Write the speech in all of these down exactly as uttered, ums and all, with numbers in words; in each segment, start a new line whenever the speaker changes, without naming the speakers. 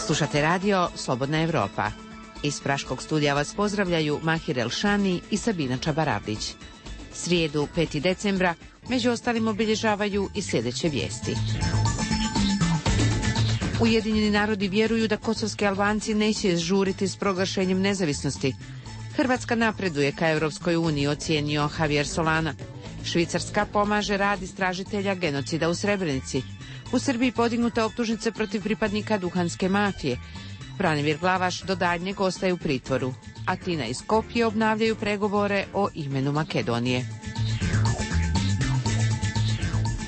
Slušate radio Slobodna Evropa. Iz Praškog studija vas pozdravljaju Mahir Elšani i Sabina Čabaravdić. Srijedu petog decembra među ostalim obilježavaju i sljedeće vijesti. Ujedinjeni narodi vjeruju da kosovski Albanci neće žuriti s proglašenjem nezavisnosti. Hrvatska napreduje ka Europskoj uniji, ocijenio Javier Solana. Švicarska pomaže rad istražitelja genocida u Srebrenici. U Srbiji podignute optužnice protiv pripadnika duhanske mafije. Branimir Glavaš do daljnjeg ostaje u pritvoru. Atina i Skopje obnavljaju pregovore o imenu Makedonije.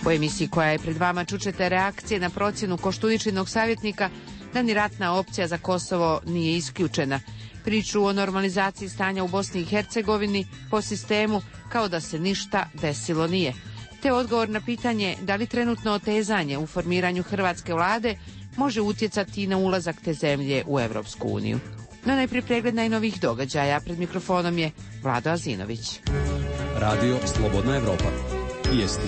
U emisiji koja je pred vama čućete reakcije na procjenu Koštuničinog savjetnika da ni ratna opcija za Kosovo nije isključena. Priču o normalizaciji stanja u Bosni i Hercegovini po sistemu kao da se ništa desilo nije. Te odgovor na pitanje da li trenutno otezanje u formiranju hrvatske vlade može utjecati na ulazak te zemlje u Europsku uniju. No najprije pregled najnovijih događaja. Pred mikrofonom je Vlado Azinović.
Radio Slobodna Evropa. Vijesti.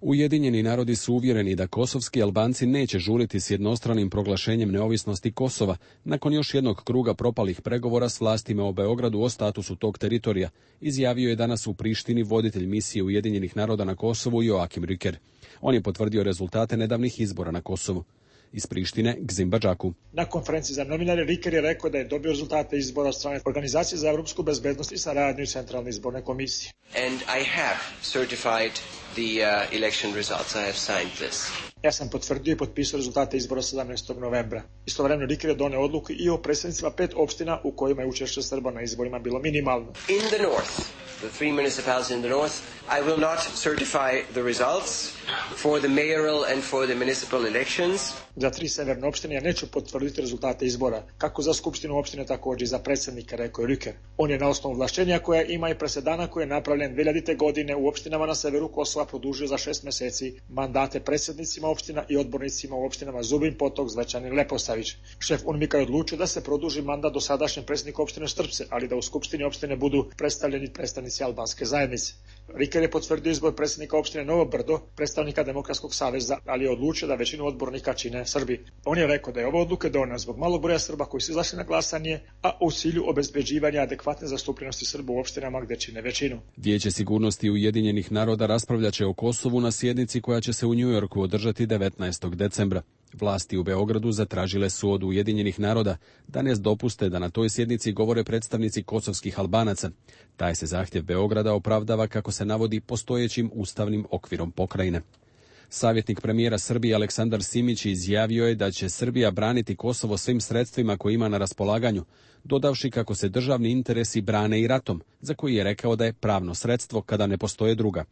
Ujedinjeni narodi su uvjereni da kosovski Albanci neće žuriti s jednostranim proglašenjem neovisnosti Kosova nakon još jednog kruga propalih pregovora s vlastima u Beogradu o statusu tog teritorija, izjavio je danas u Prištini voditelj misije Ujedinjenih naroda na Kosovu Joakim Rüker. On je potvrdio rezultate nedavnih izbora na Kosovu. Iz Prištine, Gzim Badžaku.
Na konferenciji za novinare Rüker je rekao da je dobio rezultate izbora od strane Organizacije za evropsku bezbednost i saradnju Centralne izborne komisije.
And I have certified the uh, election results. I have signed this.
Ja sam potvrdio i potpisao rezultate izbora sedamnaestog novembra. Istovremeno Rüker je doneo odluku i o predstavnicima pet opština u kojima je učešće Srba na izborima bilo minimalno.
In the north, the three municipalities in the north, I will not certify the results for the mayoral and for the municipal elections.
Za tri severne opštine ja neću potvrditi rezultate izbora, kako za skupštinu opštine, također i za predsjednika, rekao je Rüker. On je na osnovu ovlašćenja koja ima i presedana koji je napravljen dve hiljadite. godine u opštinama na severu Kosova produžio za šest mjeseci mandate predsjednicima opština i odbornicima u opštinama Zubin Potok, Zvečan i Leposavić. Šef UNMIK-a je odlučio da se produži mandat dosadašnjem predsjedniku opštine Štrpce, ali da u skupštini opštine budu predstavljeni predstavnici albanske zajednice. Rüker je potvrdio izbor predsjednika opštine Novo Brdo, predstavnika Demokratskog saveza, ali je odlučio da većinu odbornika čine Srbi. On je rekao da je ova odluka donijela zbog malog broja Srba koji su izašli na glasanje, a u cilju obezbeđivanja adekvatne zastupljenosti Srba u opštinama gdje čine većinu.
Vijeće sigurnosti Ujedinjenih naroda raspravljaće o Kosovu na sjednici koja će se u New Yorku održati devetnaestog decembra. Vlasti u Beogradu zatražile su od Ujedinjenih naroda da ne dopuste da na toj sjednici govore predstavnici kosovskih Albanaca. Taj se zahtjev Beograda opravdava, kako se navodi, postojećim ustavnim okvirom pokrajine. Savjetnik premijera Srbije Aleksandar Simić izjavio je da će Srbija braniti Kosovo svim sredstvima koje ima na raspolaganju, dodavši kako se državni interesi brane i ratom, za koji je rekao da je pravno sredstvo kada ne postoje druga.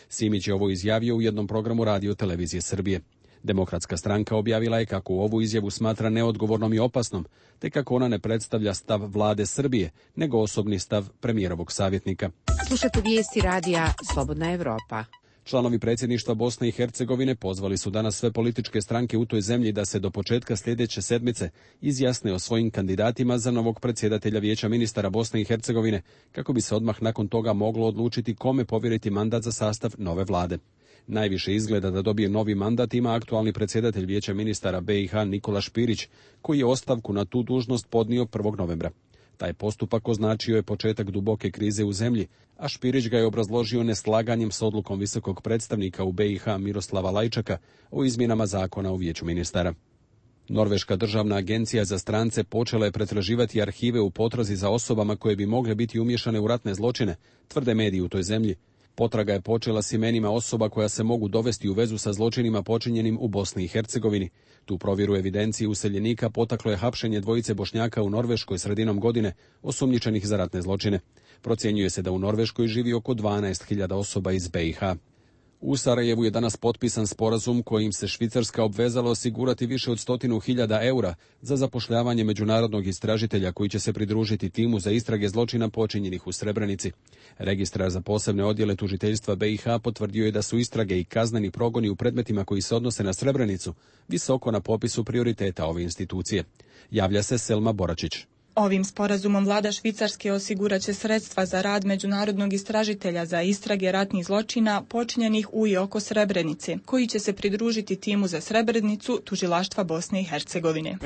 Simić je ovo izjavio u jednom programu radio televizije Srbije. Demokratska stranka objavila je kako ovu izjavu smatra neodgovornom i opasnom, te kako ona ne predstavlja stav vlade Srbije, nego osobni stav premijerovog savjetnika.
Slušate vijesti radija Slobodna Evropa.
Članovi predsjedništva Bosne i Hercegovine pozvali su danas sve političke stranke u toj zemlji da se do početka sljedeće sedmice izjasne o svojim kandidatima za novog predsjedatelja Vijeća ministara Bosne i Hercegovine, kako bi se odmah nakon toga moglo odlučiti kome povjeriti mandat za sastav nove vlade. Najviše izgleda da dobije novi mandat ima aktualni predsjedatelj Vijeća ministara B i H Nikola Špirić, koji je ostavku na tu dužnost podnio prvog novembra. Taj postupak označio je početak duboke krize u zemlji, a Špirić ga je obrazložio neslaganjem s odlukom visokog predstavnika u B i H Miroslava Lajčaka o izmjenama zakona u Vijeću ministara. Norveška državna agencija za strance počela je pretraživati arhive u potrazi za osobama koje bi mogle biti umiješane u ratne zločine, tvrde mediji u toj zemlji. Potraga je počela s imenima osoba koja se mogu dovesti u vezu sa zločinima počinjenim u Bosni i Hercegovini. Tu provjeru evidencije useljenika potaklo je hapšenje dvojice Bošnjaka u Norveškoj sredinom godine, osumnjičenih za ratne zločine. Procjenjuje se da u Norveškoj živi oko dvanaest hiljada osoba iz B i H. U Sarajevu je danas potpisan sporazum kojim se Švicarska obvezala osigurati više od stotinu hiljada eura za zapošljavanje međunarodnog istražitelja koji će se pridružiti timu za istrage zločina počinjenih u Srebrenici. Registrar za posebne odjele tužiteljstva B i H potvrdio je da su istrage i kazneni progoni u predmetima koji se odnose na Srebrenicu visoko na popisu prioriteta ove institucije. Javlja se Selma Boračić.
Ovim sporazumom vlada Švicarske osiguraće sredstva za rad međunarodnog istražitelja za istrage ratnih zločina počinjenih u i oko Srebrenice, koji će se pridružiti timu za Srebrenicu tužilaštva Bosne i Hercegovine.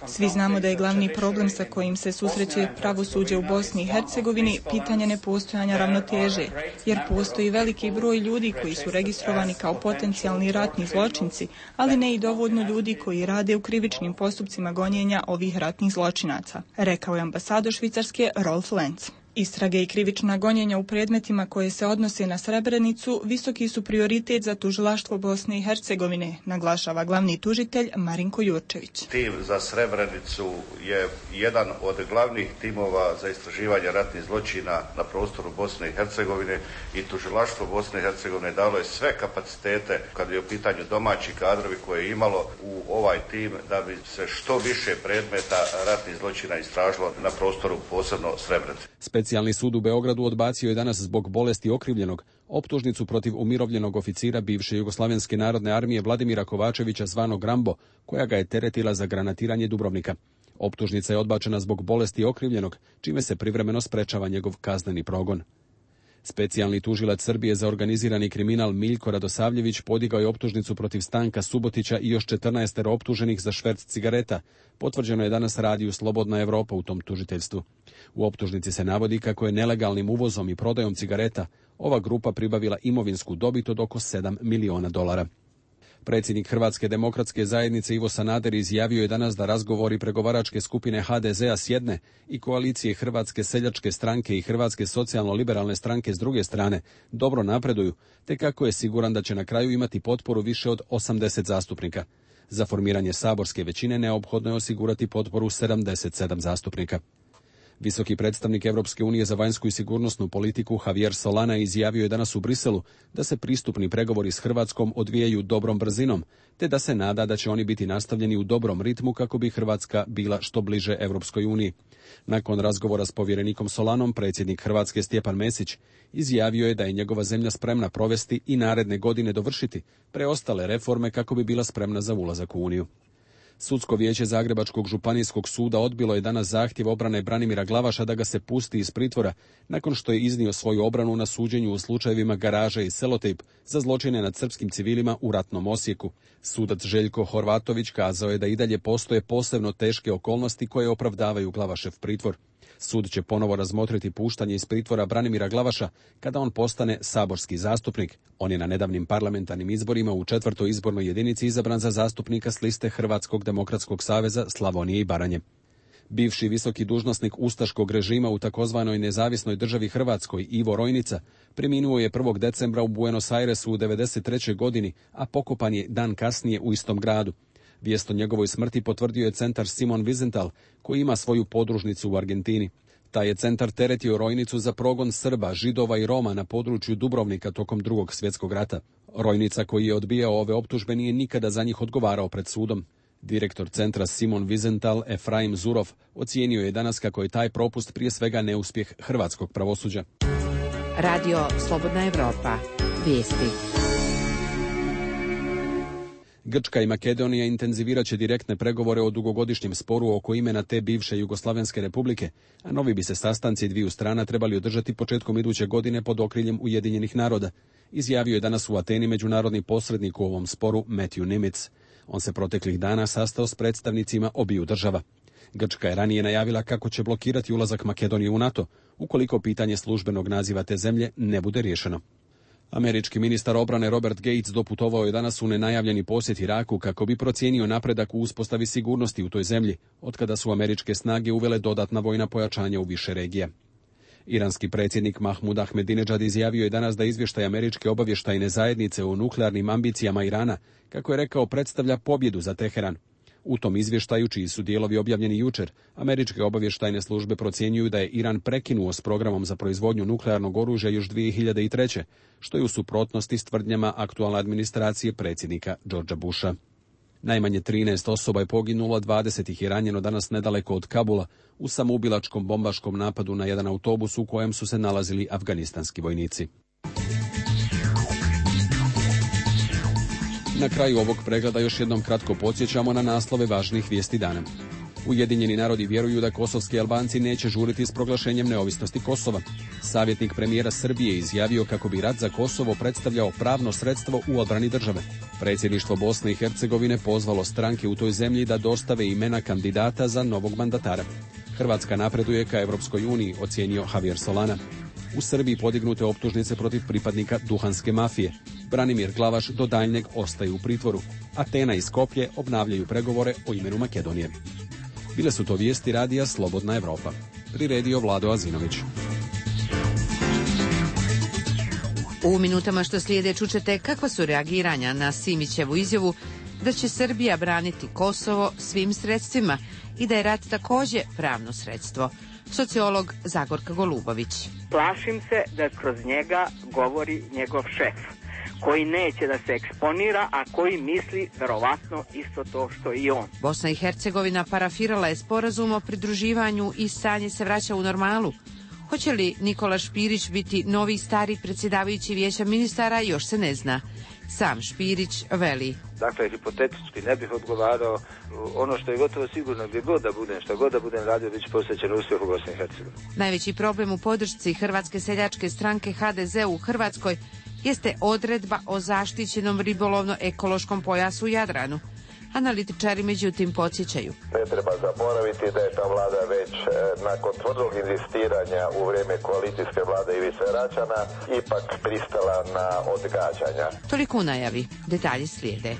Svi znamo da je glavni problem sa kojim se susreće pravosuđe u Bosni i Hercegovini pitanje nepostojanja ravnoteže, jer postoji veliki broj ljudi koji su registrovani kao potencijalni ratni zločinci, ali ne i dovoljno ljudi koji rade u krivičnim postupcima gonjenja ovih ratnih zločinaca, rekao je ambasador Švicarske Rolf Lenz. Istrage i krivična gonjenja u predmetima koje se odnose na Srebrenicu visoki su prioritet za tužilaštvo Bosne i Hercegovine, naglašava glavni tužitelj Marinko Jurčević.
Tim za Srebrenicu je jedan od glavnih timova za istraživanje ratnih zločina na prostoru Bosne i Hercegovine i tužilaštvo Bosne i Hercegovine dalo je sve kapacitete kad je u pitanju domaći kadrovi koje je imalo u ovaj tim da bi se što više predmeta ratnih zločina istražilo na prostoru posebno Srebrenice.
Specijalni sud u Beogradu odbacio je danas zbog bolesti okrivljenog optužnicu protiv umirovljenog oficira bivše Jugoslavenske narodne armije Vladimira Kovačevića zvanog Rambo, koja ga je teretila za granatiranje Dubrovnika. Optužnica je odbačena zbog bolesti okrivljenog, čime se privremeno sprečava njegov kazneni progon. Specijalni tužilac Srbije za organizirani kriminal Miljko Radosavljević podigao je optužnicu protiv Stanka Subotića i još četrnaest optuženih za šverc cigareta. Potvrđeno je danas radiju Slobodna Evropa u tom tužiteljstvu. U optužnici se navodi kako je nelegalnim uvozom i prodajom cigareta ova grupa pribavila imovinsku dobit od oko sedam miliona dolara. Predsjednik Hrvatske demokratske zajednice Ivo Sanader izjavio je danas da razgovori pregovaračke skupine ha de zea s jedne i koalicije Hrvatske seljačke stranke i Hrvatske socijalno-liberalne stranke s druge strane dobro napreduju, te kako je siguran da će na kraju imati potporu više od osamdeset zastupnika. Za formiranje saborske većine neophodno je osigurati potporu sedamdeset sedam zastupnika. Visoki predstavnik Europske unije za vanjsku i sigurnosnu politiku Javier Solana izjavio je danas u Briselu da se pristupni pregovori s Hrvatskom odvijaju dobrom brzinom, te da se nada da će oni biti nastavljeni u dobrom ritmu kako bi Hrvatska bila što bliže Europskoj uniji. Nakon razgovora s povjerenikom Solanom, predsjednik Hrvatske Stjepan Mesić izjavio je da je njegova zemlja spremna provesti i naredne godine dovršiti preostale reforme kako bi bila spremna za ulazak u Uniju. Sudsko vijeće Zagrebačkog županijskog suda odbilo je danas zahtjev obrane Branimira Glavaša da ga se pusti iz pritvora nakon što je iznio svoju obranu na suđenju u slučajevima Garaže i Selotejp za zločine nad srpskim civilima u ratnom Osijeku. Sudac Željko Horvatović kazao je da i dalje postoje posebno teške okolnosti koje opravdavaju Glavašev pritvor. Sud će ponovo razmotriti puštanje iz pritvora Branimira Glavaša kada on postane saborski zastupnik. On je na nedavnim parlamentarnim izborima u četvrtoj izbornoj jedinici izabran za zastupnika s liste Hrvatskog demokratskog saveza Slavonije i Baranje. Bivši visoki dužnosnik ustaškog režima u takozvanoj nezavisnoj državi Hrvatskoj Ivo Rojnica preminuo je prvog decembra u Buenos Airesu u devedeset trećoj godini, a pokopan je dan kasnije u istom gradu. Vijest o njegovoj smrti potvrdio je centar Simon Wiesenthal, koji ima svoju podružnicu u Argentini. Taj je centar teretio Rojnicu za progon Srba, Židova i Roma na području Dubrovnika tokom drugog svjetskog rata. Rojnica, koji je odbijao ove optužbe, nije nikada za njih odgovarao pred sudom. Direktor centra Simon Wiesenthal, Efraim Zurov, ocijenio je danas kako je taj propust prije svega neuspjeh hrvatskog pravosuđa.
Radio Slobodna Evropa. Vijesti.
Grčka i Makedonija intenzivirat će direktne pregovore o dugogodišnjem sporu oko imena te bivše Jugoslavenske republike, a novi bi se sastanci dviju strana trebali održati početkom iduće godine pod okriljem Ujedinjenih naroda, izjavio je danas u Ateni međunarodni posrednik u ovom sporu Matthew Nimitz. On se proteklih dana sastao s predstavnicima obiju država. Grčka je ranije najavila kako će blokirati ulazak Makedonije u NATO, ukoliko pitanje službenog naziva te zemlje ne bude riješeno. Američki ministar obrane Robert Gates doputovao je danas u nenajavljeni posjet Iraku kako bi procijenio napredak u uspostavi sigurnosti u toj zemlji, otkada su američke snage uvele dodatna vojna pojačanja u više regija. Iranski predsjednik Mahmud Ahmadinejad izjavio je danas da izvještaj američke obavještajne zajednice o nuklearnim ambicijama Irana, kako je rekao, predstavlja pobjedu za Teheran. U tom izvještaju, čiji su dijelovi objavljeni jučer, američke obavještajne službe procjenjuju da je Iran prekinuo s programom za proizvodnju nuklearnog oružja još dvije hiljade treće, što je u suprotnosti s tvrdnjama aktualne administracije predsjednika Georgea Busha. Najmanje trinaest osoba je poginulo, dvadeset ih je ranjeno danas nedaleko od Kabula u samoubilačkom bombaškom napadu na jedan autobus u kojem su se nalazili afganistanski vojnici. Na kraju ovog pregleda još jednom kratko podsjećamo na naslove važnih vijesti dana. Ujedinjeni narodi vjeruju da kosovski Albanci neće žuriti s proglašenjem neovisnosti Kosova. Savjetnik premijera Srbije izjavio kako bi rat za Kosovo predstavljao pravno sredstvo u odbrani države. Predsjedništvo Bosne i Hercegovine pozvalo stranke u toj zemlji da dostave imena kandidata za novog mandatara. Hrvatska napreduje ka Europskoj uniji, ocijenio Javier Solana. U Srbiji podignute optužnice protiv pripadnika duhanske mafije. Branimir Glavaš do daljnjeg ostaje u pritvoru. Atena i Skopje obnavljaju pregovore o imenu Makedonije. Bile su to vijesti radija Slobodna Evropa. Priredio Vlado Azinović.
U minutama što slijede čućete kakva su reagiranja na Simićevu izjavu da će Srbija braniti Kosovo svim sredstvima i da je rat također pravno sredstvo. Sociolog Zagorka Golubović.
Plašim se da kroz njega govori njegov šef, koji neće da se eksponira, a koji misli verovatno isto to što i on.
Bosna i Hercegovina parafirala je sporazum o pridruživanju i stanje se vraća u normalu. Hoće li Nikola Špirić biti novi stari predsjedavajući vijeća ministara, još se ne zna. Sam Špirić veli.
Dakle, hipotetički ne bih odgovarao. Ono što je gotovo sigurno, gdje god da budem, što god da budem radio, bit će posvećen uspjehu Bosne i Hercegovine.
Najveći problem u podršci Hrvatske seljačke stranke H D Z u Hrvatskoj jeste odredba o zaštićenom ribolovno-ekološkom pojasu u Jadranu. Analitičari međutim podsjećaju.
Ne treba zaboraviti da je ta vlada već e, nakon tvrdog inzistiranja u vrijeme koalicijske vlade Ivice Račana ipak pristala na odgađanja.
Toliko u najavi. Detalji slijede.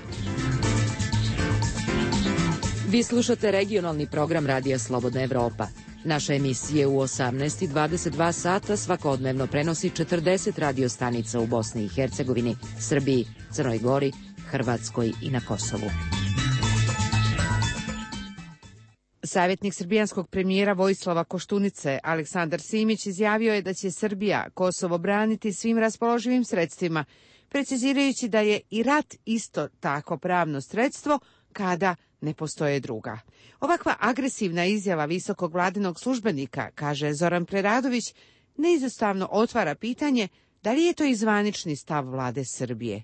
Vi slušate regionalni program Radija Slobodna Evropa. Naše emisije u osamnaest i dvadeset dva sata svakodnevno prenosi četrdeset radio stanica u Bosni i Hercegovini, Srbiji, Crnoj Gori, Hrvatskoj i na Kosovu.
Savjetnik srbijanskog premijera Vojislava Koštunice, Aleksandar Simić, izjavio je da će Srbija Kosovo braniti svim raspoloživim sredstvima, precizirajući da je i rat isto tako pravno sredstvo kada ne postoje druga. Ovakva agresivna izjava visokog vladinog službenika, kaže Zoran Preradović, neizostavno otvara pitanje da li je to i zvanični stav vlade Srbije.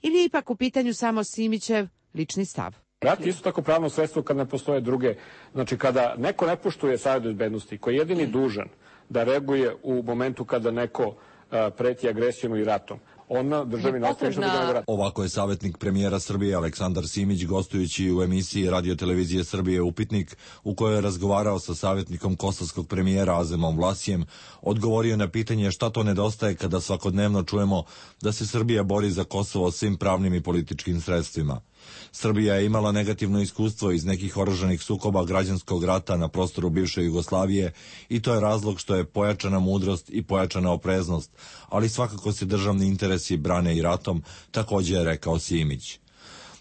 Ili je ipak u pitanju samo Simićev lični stav.
Rat je isto tako pravno sredstvo kad ne postoje druge. Znači, kada neko ne poštuje Savet bezbednosti, koji je jedini dužan da reaguje u momentu kada neko uh, preti agresijom i ratom, ona državi nastaje što da rat.
Ovako je savjetnik premijera Srbije Aleksandar Simić gostujući u emisiji Radio Televizije Srbije Upitnik, u kojoj je razgovarao sa savjetnikom kosovskog premijera Azemom Vlasijem, odgovorio na pitanje šta to nedostaje kada svakodnevno čujemo da se Srbija bori za Kosovo svim pravnim i političkim sredstvima. Srbija je imala negativno iskustvo iz nekih oružanih sukoba građanskog rata na prostoru bivše Jugoslavije i to je razlog što je pojačana mudrost i pojačana opreznost, ali svakako se državni interesi brane i ratom, također je rekao Simić.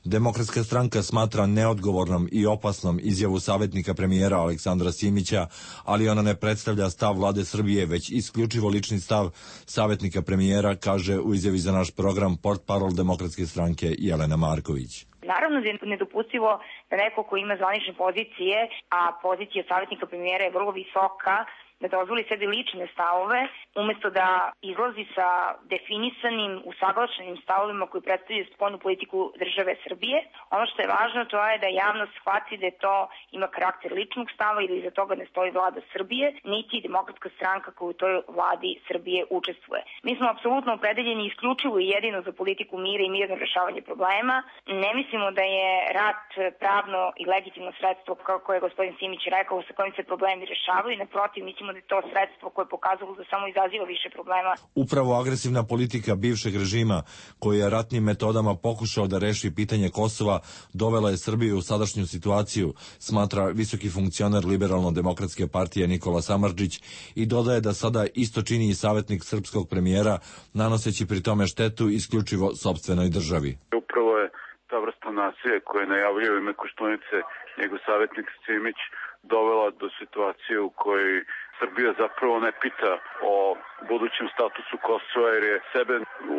Demokratska stranka smatra neodgovornom i opasnom izjavu savjetnika premijera Aleksandra Simića, ali ona ne predstavlja stav vlade Srbije, već isključivo lični stav savjetnika premijera, kaže u izjavi za naš program portparol Demokratske stranke Jelena Marković.
Naravno da je nedopustivo da neko ko ima zvanične pozicije, a pozicija savjetnika premijera je vrlo visoka, da dozvoli sebi lične stavove, umjesto da izlazi sa definisanim, usaglašenim stavovima koji predstavljaju spoljnu politiku države Srbije. Ono što je važno to je da javnost shvati da to ima karakter ličnog stava ili iza toga ne stoji vlada Srbije, niti demokratska stranka koja u toj vladi Srbije učestvuje. Mi smo apsolutno opredeljeni isključivo i jedino za politiku mira i mirno rešavanje problema. Ne mislimo da je rat pravno i legitimno sredstvo, kako je gospodin Simić rekao, sa kojim se problemi rešavaju. Naprotiv, mislimo da je to sredstvo koje je pokazalo da samo izaziva više problema.
Upravo agresivna politika bivšeg režima, koji je ratnim metodama pokušao da reši pitanje Kosova, dovela je Srbiju u sadašnju situaciju, smatra visoki funkcioner Liberalno-demokratske partije Nikola Samardžić i dodaje da sada isto čini i savjetnik srpskog premijera, nanoseći pri tome štetu isključivo sopstvenoj državi.
Upravo je ta vrsta nasilja koje najavljuje ime Koštunice njegov savjetnik Simić dovela do situacije u kojoj Srbija zapravo ne pita o budućem statusu Kosova, jer je sebe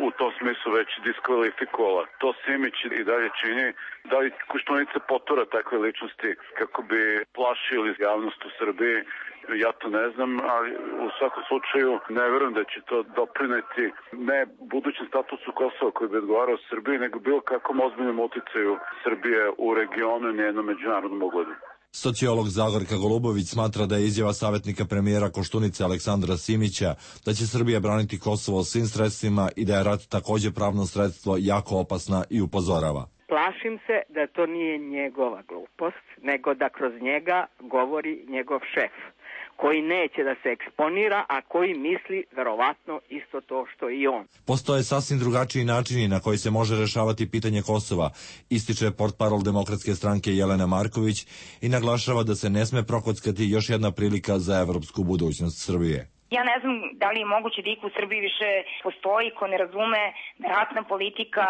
u tom smislu već diskvalifikovala. To Simić i dalje čini. Da li Koštunica potura takve ličnosti kako bi plašili javnost u Srbiji, ja to ne znam, ali u svakom slučaju ne vjerujem da će to doprineti ne budućem statusu Kosova koji bi odgovarao Srbiji, nego bilo kakvom ozbiljnom uticaju Srbije u regionu i njenom međunarodnom ugledu.
Sociolog Zagorka Golubović smatra da je izjava savjetnika premijera Koštunice Aleksandra Simića da će Srbija braniti Kosovo svim sredstvima i da je rat također pravno sredstvo jako opasna i upozorava.
Plašim se da to nije njegova glupost, nego da kroz njega govori njegov šef, koji neće da se eksponira, a koji misli verovatno isto to što i on.
Postoje sasvim drugačiji načini na koji se može rešavati pitanje Kosova, ističe portparol Demokratske stranke Jelena Marković i naglašava da se ne sme prokockati još jedna prilika za evropsku budućnost Srbije.
Ja ne znam da li je moguće da iko u Srbiji više postoji ko ne razume da ratna politika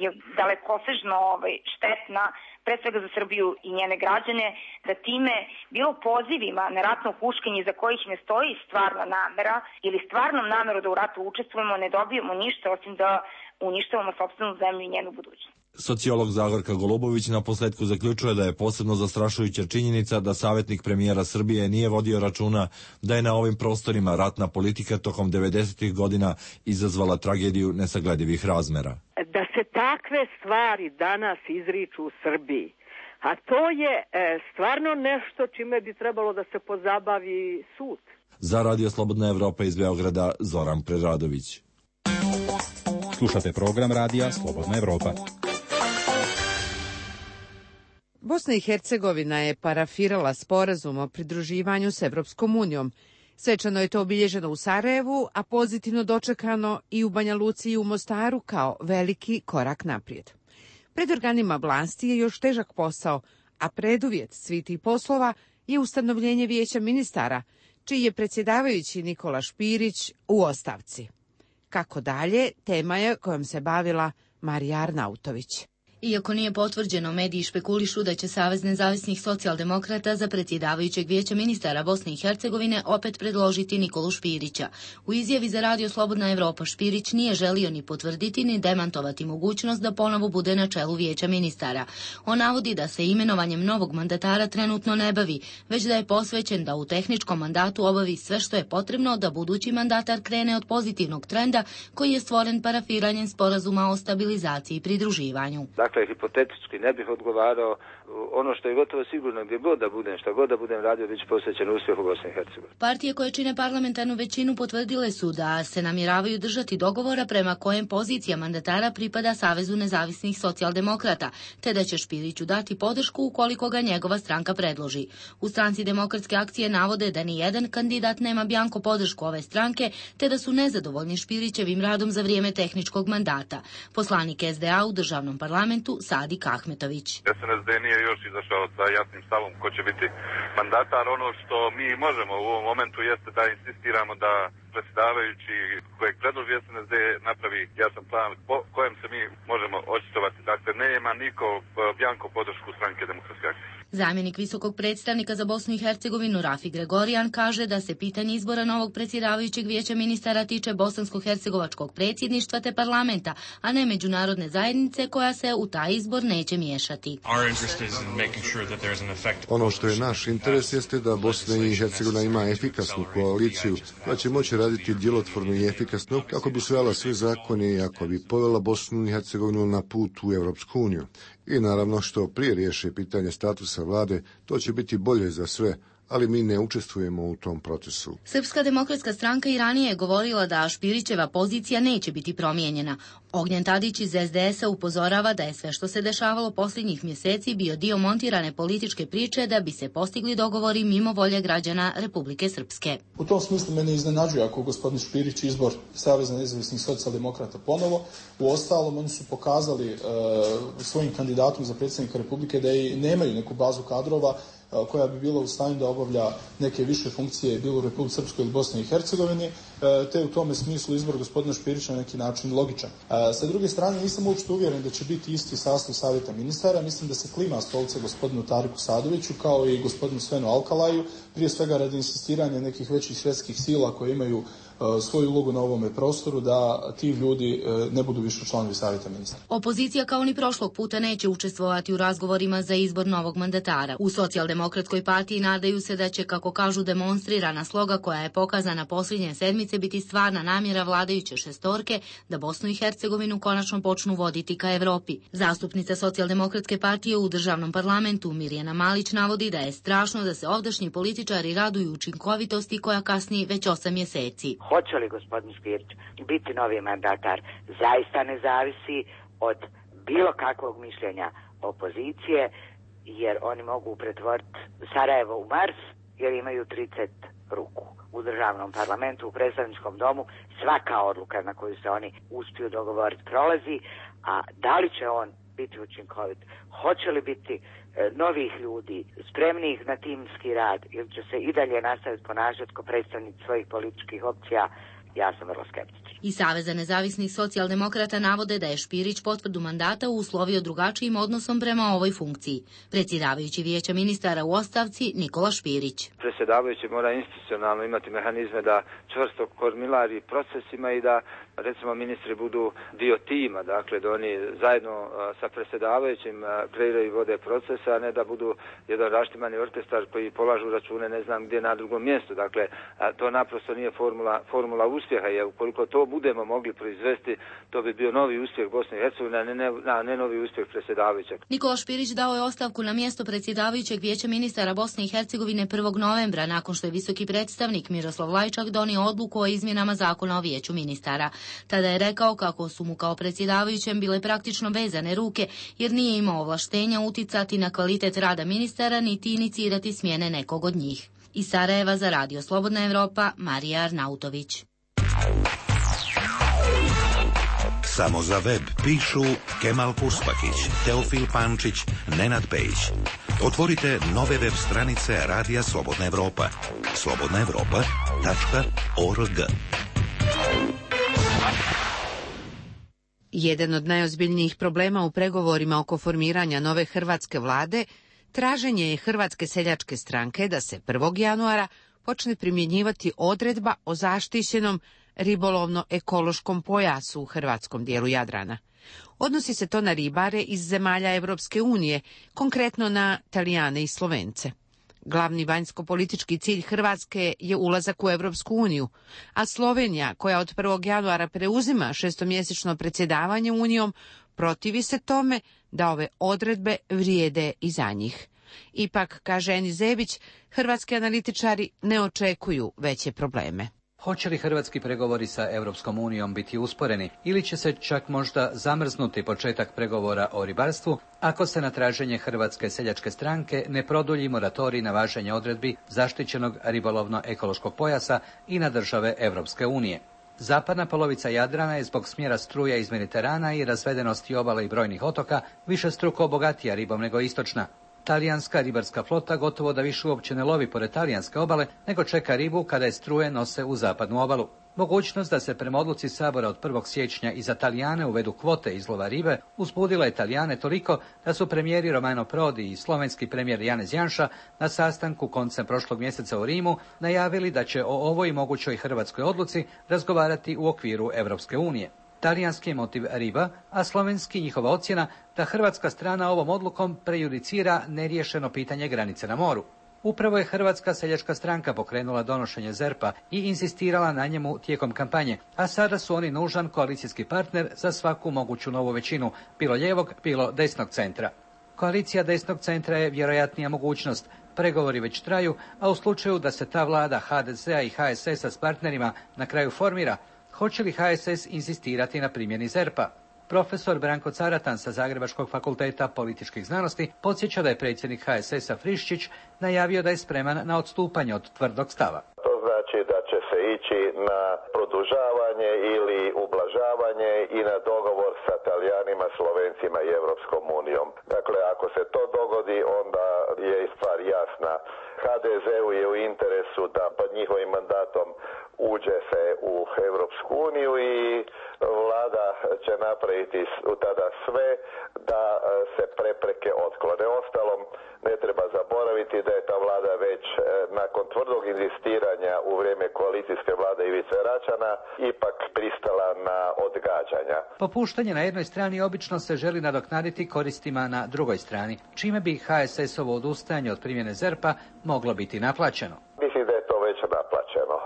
je dalekosežno ovaj, štetna, pre svega za Srbiju i njene građane, da time bilo pozivima na ratno huškanje za kojih ne stoji stvarna namera ili stvarnom nameru da u ratu učestvujemo, ne dobijemo ništa osim da uništavamo sopstvenu zemlju i njenu budućnost.
Sociolog Zagorka Golubović na posledku zaključuje da je posebno zastrašujuća činjenica da savjetnik premijera Srbije nije vodio računa da je na ovim prostorima ratna politika tokom devedesetih godina izazvala tragediju nesagledivih razmera.
Da se takve stvari danas izriču u Srbiji, a to je e, stvarno nešto čime bi trebalo da se pozabavi sud.
Za Radio Slobodna Evropa iz Beograda, Zoran Preradović.
Slušate program Radija Slobodna Evropa.
Bosna i Hercegovina je parafirala sporazum o pridruživanju s Evropskom unijom. Svečano je to obilježeno u Sarajevu, a pozitivno dočekano i u Banja Luci i u Mostaru kao veliki korak naprijed. Pred organima vlasti je još težak posao, a preduvjet svih tih poslova je ustanovljenje Vijeća ministara, čiji je predsjedavajući Nikola Špirić u ostavci. Kako dalje, tema je kojom se bavila Marija Arnautović.
Iako nije potvrđeno, mediji špekulišu da će Savez nezavisnih socijaldemokrata za predsjedavajućeg Vijeća ministara Bosne i Hercegovine opet predložiti Nikolu Špirića. U izjavi za Radio Slobodna Evropa Špirić nije želio ni potvrditi ni demantovati mogućnost da ponovo bude na čelu Vijeća ministara. On navodi da se imenovanjem novog mandatara trenutno ne bavi, već da je posvećen da u tehničkom mandatu obavi sve što je potrebno da budući mandatar krene od pozitivnog trenda koji je stvoren parafiranjem sporazuma o stabilizaciji i pridruživanju.
Dakle, hipotetički ne bih odgovarao. Ono što je gotovo sigurno, gdje god da budem, šta god da budem radio, bit će posvećen uspjehu Bosne i Hercegovine.
Partije koje čine parlamentarnu većinu potvrdile su da se namjeravaju držati dogovora prema kojem pozicija mandatara pripada Savezu nezavisnih socijaldemokrata, te da će Špiriću dati podršku ukoliko ga njegova stranka predloži. U stranci Demokratske akcije navode da ni jedan kandidat nema bjanko podršku ove stranke, te da su nezadovoljni Špirićevim radom za vrijeme tehničkog mandata. Poslanik S D A u državnom parlamentu Sadik Ahmetović.
S N S D nije još izašao sa jasnim stavom ko će biti mandatar. Ono što mi možemo u ovom momentu jeste da insistiramo da predsjedavajući kojeg predloži S N S D napravi jasan plan po kojem se mi možemo očitovati. Dakle, nema niko bjanko podršku stranke Demokratske akcije.
Zamjenik visokog predstavnika za Bosnu i Hercegovinu Rafi Gregorijan kaže da se pitanje izbora novog predsjedavajućeg Vijeća ministara tiče bosansko-hercegovačkog predsjedništva te parlamenta, a ne međunarodne zajednice koja se u taj izbor neće miješati.
Ono što je naš interes jeste da Bosna i Hercegovina ima efikasnu koaliciju koja će moći raditi djelotvorno i efikasno kako bi usvajala sve zakone i ako bi povela Bosnu i Hercegovinu na put u Evropsku uniju. I naravno što prije riješe pitanje statusa vlade, to će biti bolje za sve, ali mi ne učestvujemo u tom procesu.
Srpska demokratska stranka i ranije je govorila da Špirićeva pozicija neće biti promijenjena. Ognjen Tadić iz S D S-a upozorava da je sve što se dešavalo posljednjih mjeseci bio dio montirane političke priče da bi se postigli dogovori mimo volje građana Republike Srpske.
U tom smislu mene iznenađuje ako gospodin Špirić izbor Saveza nezavisnih socijaldemokrata ponovo. U ostalom, oni su pokazali uh, svojim kandidatom za predsjednika Republike da i nemaju neku bazu kadrova koja bi bila u stanju da obavlja neke više funkcije bilo u Republici Srpskoj ili Bosni i Hercegovini, te u tome smislu izbor gospodina Špirića na neki način logičan. Sa druge strane, nisam uopšte uvjeren da će biti isti sastav savjeta ministara. Mislim da se klima stolice gospodinu Tariku Sadoviću kao i gospodinu Svenu Alkalaju, prije svega radi insistiranja nekih većih svjetskih sila koje imaju svoju ulogu na ovome prostoru, da ti ljudi ne budu više članovi savjeta ministara.
Opozicija kao ni prošlog puta neće učestvovati u razgovorima za izbor novog mandatara. U Socijaldemokratskoj partiji nadaju se da će, kako kažu, demonstrirana sloga koja je pokazana posljednje sedmice biti stvarna namjera vladajuće šestorke da Bosnu i Hercegovinu konačno počnu voditi ka Evropi. Zastupnica Socijaldemokratske partije u državnom parlamentu Mirjana Malić navodi da je strašno da se ovdašnji političari raduju učinkovitosti koja kasni već osam mjeseci.
Hoće li gospodin Špirić biti novi mandatar zaista ne zavisi od bilo kakvog mišljenja opozicije, jer oni mogu pretvoriti Sarajevo u Mars jer imaju trideset ruku. U državnom parlamentu, u predstavničkom domu, svaka odluka na koju se oni uspiju dogovoriti prolazi, a da li će on biti učinkovit, hoće li biti e, novih ljudi, spremnih na timski rad, ili će se i dalje nastaviti ponašati kao predstavnici svojih političkih opcija, ja sam vrlo skeptičan.
I Saveza nezavisnih socijaldemokrata navode da je Špirić potvrdu mandata uslovio drugačijim odnosom prema ovoj funkciji. Predsjedavajući vijeća ministara u ostavci Nikola Špirić.
Predsjedavajući mora institucionalno imati mehanizme da čvrsto kormilari procesima i da, recimo, ministri budu dio tima, dakle da oni zajedno sa predsjedavajućim kreiraju i vode procese, a ne da budu jedan raštimani orkestar koji polažu račune ne znam gdje na drugom mjestu. Dakle, to naprosto nije formula, formula uspjeha, jer ukoliko to budemo mogli proizvesti, to bi bio novi uspjeh Bosne i Hercegovine, a ne, ne, a ne novi uspjeh predsjedavajućeg.
Nikola Špirić dao je ostavku na mjesto predsjedavajućeg vijeća ministara Bosne i Hercegovine prvog novembra, nakon što je visoki predstavnik Miroslav Lajčak donio odluku o izmjenama zakona o vijeću ministara. Tada je rekao kako su mu kao predsjedavajućem bile praktično vezane ruke, jer nije imao ovlaštenja uticati na kvalitet rada ministara niti inicirati smjene nekog od njih. Iz Sarajeva za Radio Slobodna Evropa, Marija Arnautović.
Samo za web pišu Kemal Kuspakić, Teofil Pančić, Nenad Pejić. Otvorite nove web stranice Radija Slobodna Evropa. slobodna evropa tačka org.
Jedan od najozbiljnijih problema u pregovorima oko formiranja nove hrvatske vlade traženje je Hrvatske seljačke stranke da se prvog januara počne primjenjivati odredba o zaštićenom ribolovno-ekološkom pojasu u hrvatskom dijelu Jadrana. Odnosi se to na ribare iz zemalja Evropske unije, konkretno na Talijane i Slovence. Glavni vanjsko-politički cilj Hrvatske je ulazak u Evropsku uniju, a Slovenija, koja od prvog januara preuzima šestomjesečno predsjedavanje Unijom, protivi se tome da ove odredbe vrijede i za njih. Ipak, kaže Enis Zebić, hrvatski analitičari ne očekuju veće probleme.
Hoće li hrvatski pregovori sa Europskom unijom biti usporeni ili će se čak možda zamrznuti početak pregovora o ribarstvu ako se na traženje Hrvatske seljačke stranke ne produlji moratorij na važenje odredbi zaštićenog ribolovno-ekološkog pojasa i na države Europske unije? Zapadna polovica Jadrana je zbog smjera struja iz Mediterana i razvedenosti obale i brojnih otoka višestruko bogatija ribom nego istočna. Talijanska ribarska flota gotovo da više uopće ne lovi pored talijanske obale, nego čeka ribu kada je struje nose u zapadnu obalu. Mogućnost da se prema odluci Sabora od prvog siječnja i za Talijane uvedu kvote izlova ribe uzbudila je Talijane toliko da su premijeri Romano Prodi i slovenski premijer Janez Janša na sastanku koncem prošlog mjeseca u Rimu najavili da će o ovoj mogućoj hrvatskoj odluci razgovarati u okviru Europske unije. Talijanski je motiv riba, a slovenski njihova ocjena da hrvatska strana ovom odlukom prejudicira neriješeno pitanje granice na moru. Upravo je Hrvatska seljačka stranka pokrenula donošenje zerpa i insistirala na njemu tijekom kampanje, a sada su oni nužan koalicijski partner za svaku moguću novu većinu, bilo lijevog, bilo desnog centra. Koalicija desnog centra je vjerojatnija mogućnost. Pregovori već traju, a u slučaju da se ta vlada ha de zea i ha es esa s partnerima na kraju formira, hoće li ha es es insistirati na primjeni zerpa? Profesor Branko Caratan sa Zagrebačkog fakulteta političkih znanosti podsjeća da je predsjednik ha es esa Friščić najavio da je spreman na odstupanje od tvrdog stava.
To znači da će se ići na produžavanje ili ublažavanje i na dogovor sa Talijanima, Slovencima i Europskom unijom. Dakle, ako se to dogodi, onda je i stvar jasna. ha de zeu je u interesu da pod njihovim mandatom uđe se u Europsku uniju i vlada će napraviti tada sve da se prepreke otklone. Ostalom, ne treba zaboraviti da je ta vlada već nakon tvrdog inzistiranja u vrijeme koalicijske vlade Ivice Račana ipak pristala na odgađanja.
Popuštanje na jednoj strani obično se želi nadoknaditi koristima na drugoj strani, čime bi ha es es-ovo odustajanje od primjene ZERP-a moglo biti naplaćeno.
Mislim da je to već naplaćeno.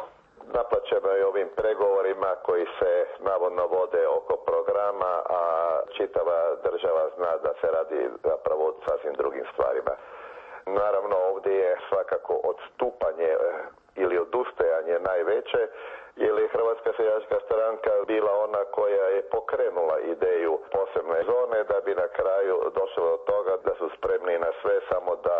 Naplaćeno je ovim pregovorima koji se navodno vode oko programa, a čitava država zna da se radi zapravo o sasvim drugim stvarima. Naravno, ovdje je svakako odstupanje ili odustajanje najveće, jer je Hrvatska seljačka stranka bila ona koja je pokrenula ideju posebne zone, da bi na kraju došlo do toga da su spremni na sve samo da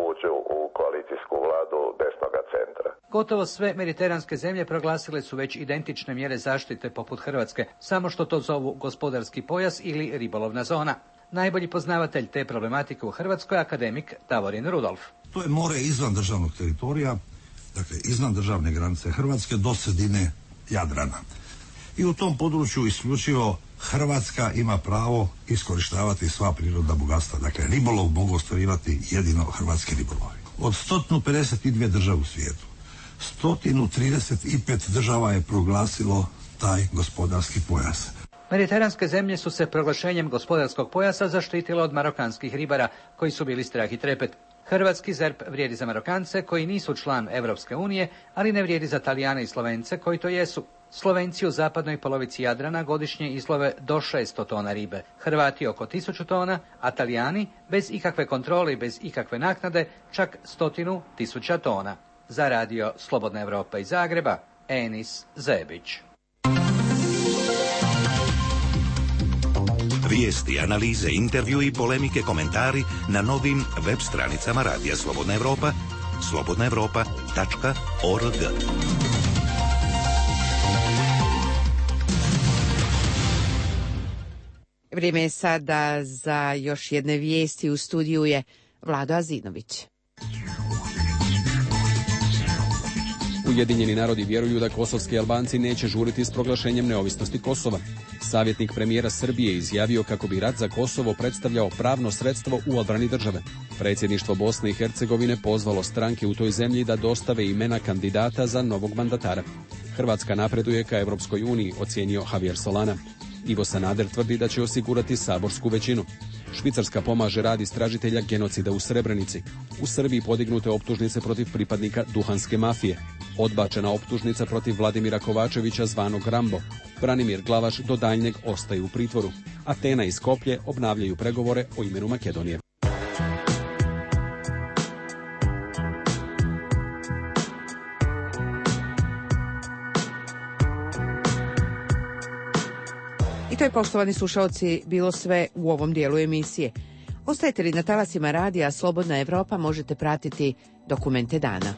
uđu u koalicijsku vladu desnoga centra.
Gotovo sve mediteranske zemlje proglasile su već identične mjere zaštite poput Hrvatske, samo što to zovu gospodarski pojas ili ribolovna zona. Najbolji poznavatelj te problematike u Hrvatskoj je akademik Davorin Rudolf.
To je more izvan državnog teritorija, dakle iznad državne granice Hrvatske do sredine Jadrana. I u tom području isključivo Hrvatska ima pravo iskorištavati sva prirodna bogatstva. Dakle, ribolov mogu ostvarivati jedino hrvatski ribolovi. Od sto pedeset dvije države u svijetu, sto trideset pet država je proglasilo taj gospodarski pojas.
Mediteranske zemlje su se proglašenjem gospodarskog pojasa zaštitile od marokanskih ribara, koji su bili strah i trepet. Hrvatski ZERP vrijedi za Marokance koji nisu član Europske unije, ali ne vrijedi za Talijane i Slovence koji to jesu. Slovenci u zapadnoj polovici Jadrana godišnje izlove do šesto tona ribe, Hrvati oko tisuću tona, a Talijani bez ikakve kontrole i bez ikakve naknade čak stotinu tisuća tona. Za radio Slobodna Evropa iz Zagreba, Enis Zebić.
Vijesti, analize, intervju i polemike, komentari na novim web stranicama Radija Slobodna Evropa, slobodna evropa tačka org.
Vrijeme je sada za još jedne vijesti. U studiju je Vlado Azinović.
Ujedinjeni narodi vjeruju da kosovski Albanci neće žuriti s proglašenjem neovisnosti Kosova. Savjetnik premijera Srbije izjavio kako bi rat za Kosovo predstavljao pravno sredstvo u odbrani države. Predsjedništvo Bosne i Hercegovine pozvalo stranke u toj zemlji da dostave imena kandidata za novog mandatara. Hrvatska napreduje ka Evropskoj uniji, ocijenio Javier Solana. Ivo Sanader tvrdi da će osigurati saborsku većinu. Švicarska pomaže rad istražitelja genocida u Srebrenici. U Srbiji podignute optužnice protiv pripadnika duhanske mafije. Odbačena optužnica protiv Vladimira Kovačevića zvanog Rambo. Branimir Glavaš do daljnjeg ostaje u pritvoru. Atena i Skoplje obnavljaju pregovore o imenu Makedonije.
I to je, poštovani slušalci, bilo sve u ovom dijelu emisije. Ostajete li na talasima radija Slobodna Evropa, možete pratiti dokumente dana.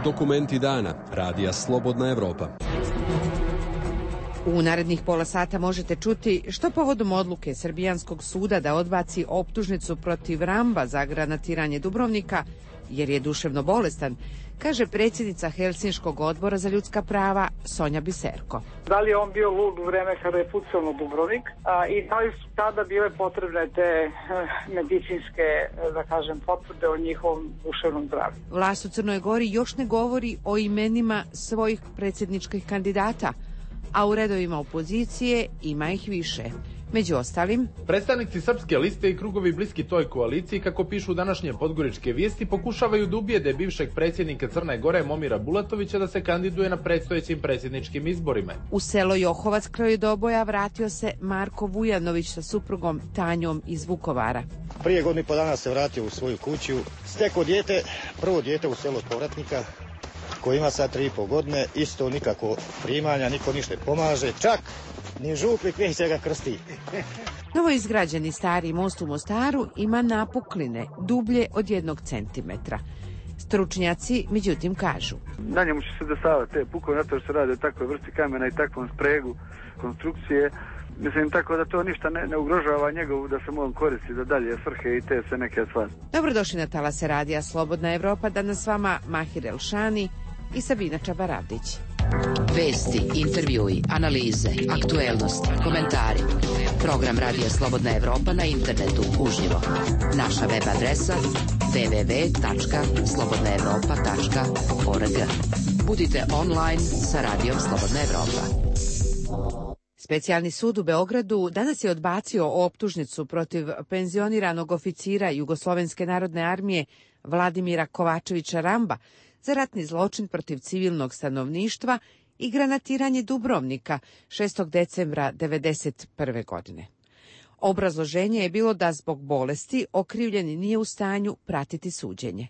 Dokumenti dana. Radija Slobodna Evropa.
U narednih pola sata možete čuti što povodom odluke Srbijanskog suda da odbaci optužnicu protiv Ramba za granatiranje Dubrovnika, jer je duševno bolestan, kaže predsjednica Helsinškog odbora za ljudska prava Sonja Biserko.
Da li je on bio lud u vreme kada je pucao na Dubrovnik a, i da li su tada bile potrebne te e, medicinske, da kažem, potvrde o njihovom duševnom zdravlju.
Vlast u Crnoj Gori još ne govori o imenima svojih predsjedničkih kandidata, a u redovima opozicije ima ih više. Među ostalim,
predstavnici Srpske liste i krugovi bliski toj koaliciji, kako pišu današnje podgoričke vijesti, pokušavaju da ubijede bivšeg predsjednika Crne Gore Momira Bulatovića da se kandiduje na predstojećim predsjedničkim izborima.
U selo Johovac kraj Doboja vratio se Marko Vujanović sa suprugom Tanjom iz Vukovara.
Prije godinu i po dana se vratio u svoju kuću, stekao dijete, prvo dijete u selu povratnika, koji ima sad tri i po godine, isto nikako primanja, niko ništa pomaže, čak ni župnik neće ga krsti.
Novo izgrađeni stari most u Mostaru ima napukline dublje od jednog centimetra. Stručnjaci međutim kažu,
na njemu će se dešavati te pukove, zato što se radi o takvoj vrsti kamena i takvom spregu konstrukcije. Mislim tako da to ništa ne, ne ugrožava njegovu da se mogu koristiti za dalje svrhe i te sve neke stvari.
Dobrodošli na talase radija Slobodna Evropa, danas s vama Mahir Elšani i Sabina Čabaradić.
Vesti, intervjui, analize, aktuelnosti, komentari. Program Radija Slobodna Evropa na internetu uživo. Naša web adresa w w w tačka slobodna evropa tačka org. Budite online sa Radijom Slobodna Evropa.
Specijalni sud u Beogradu danas je odbacio optužnicu protiv penzioniranog oficira Jugoslovenske narodne armije Vladimira Kovačevića Ramba za ratni zločin protiv civilnog stanovništva i granatiranje Dubrovnika šestog decembra devedeset prve. godine. Obrazloženje je bilo da zbog bolesti okrivljeni nije u stanju pratiti suđenje.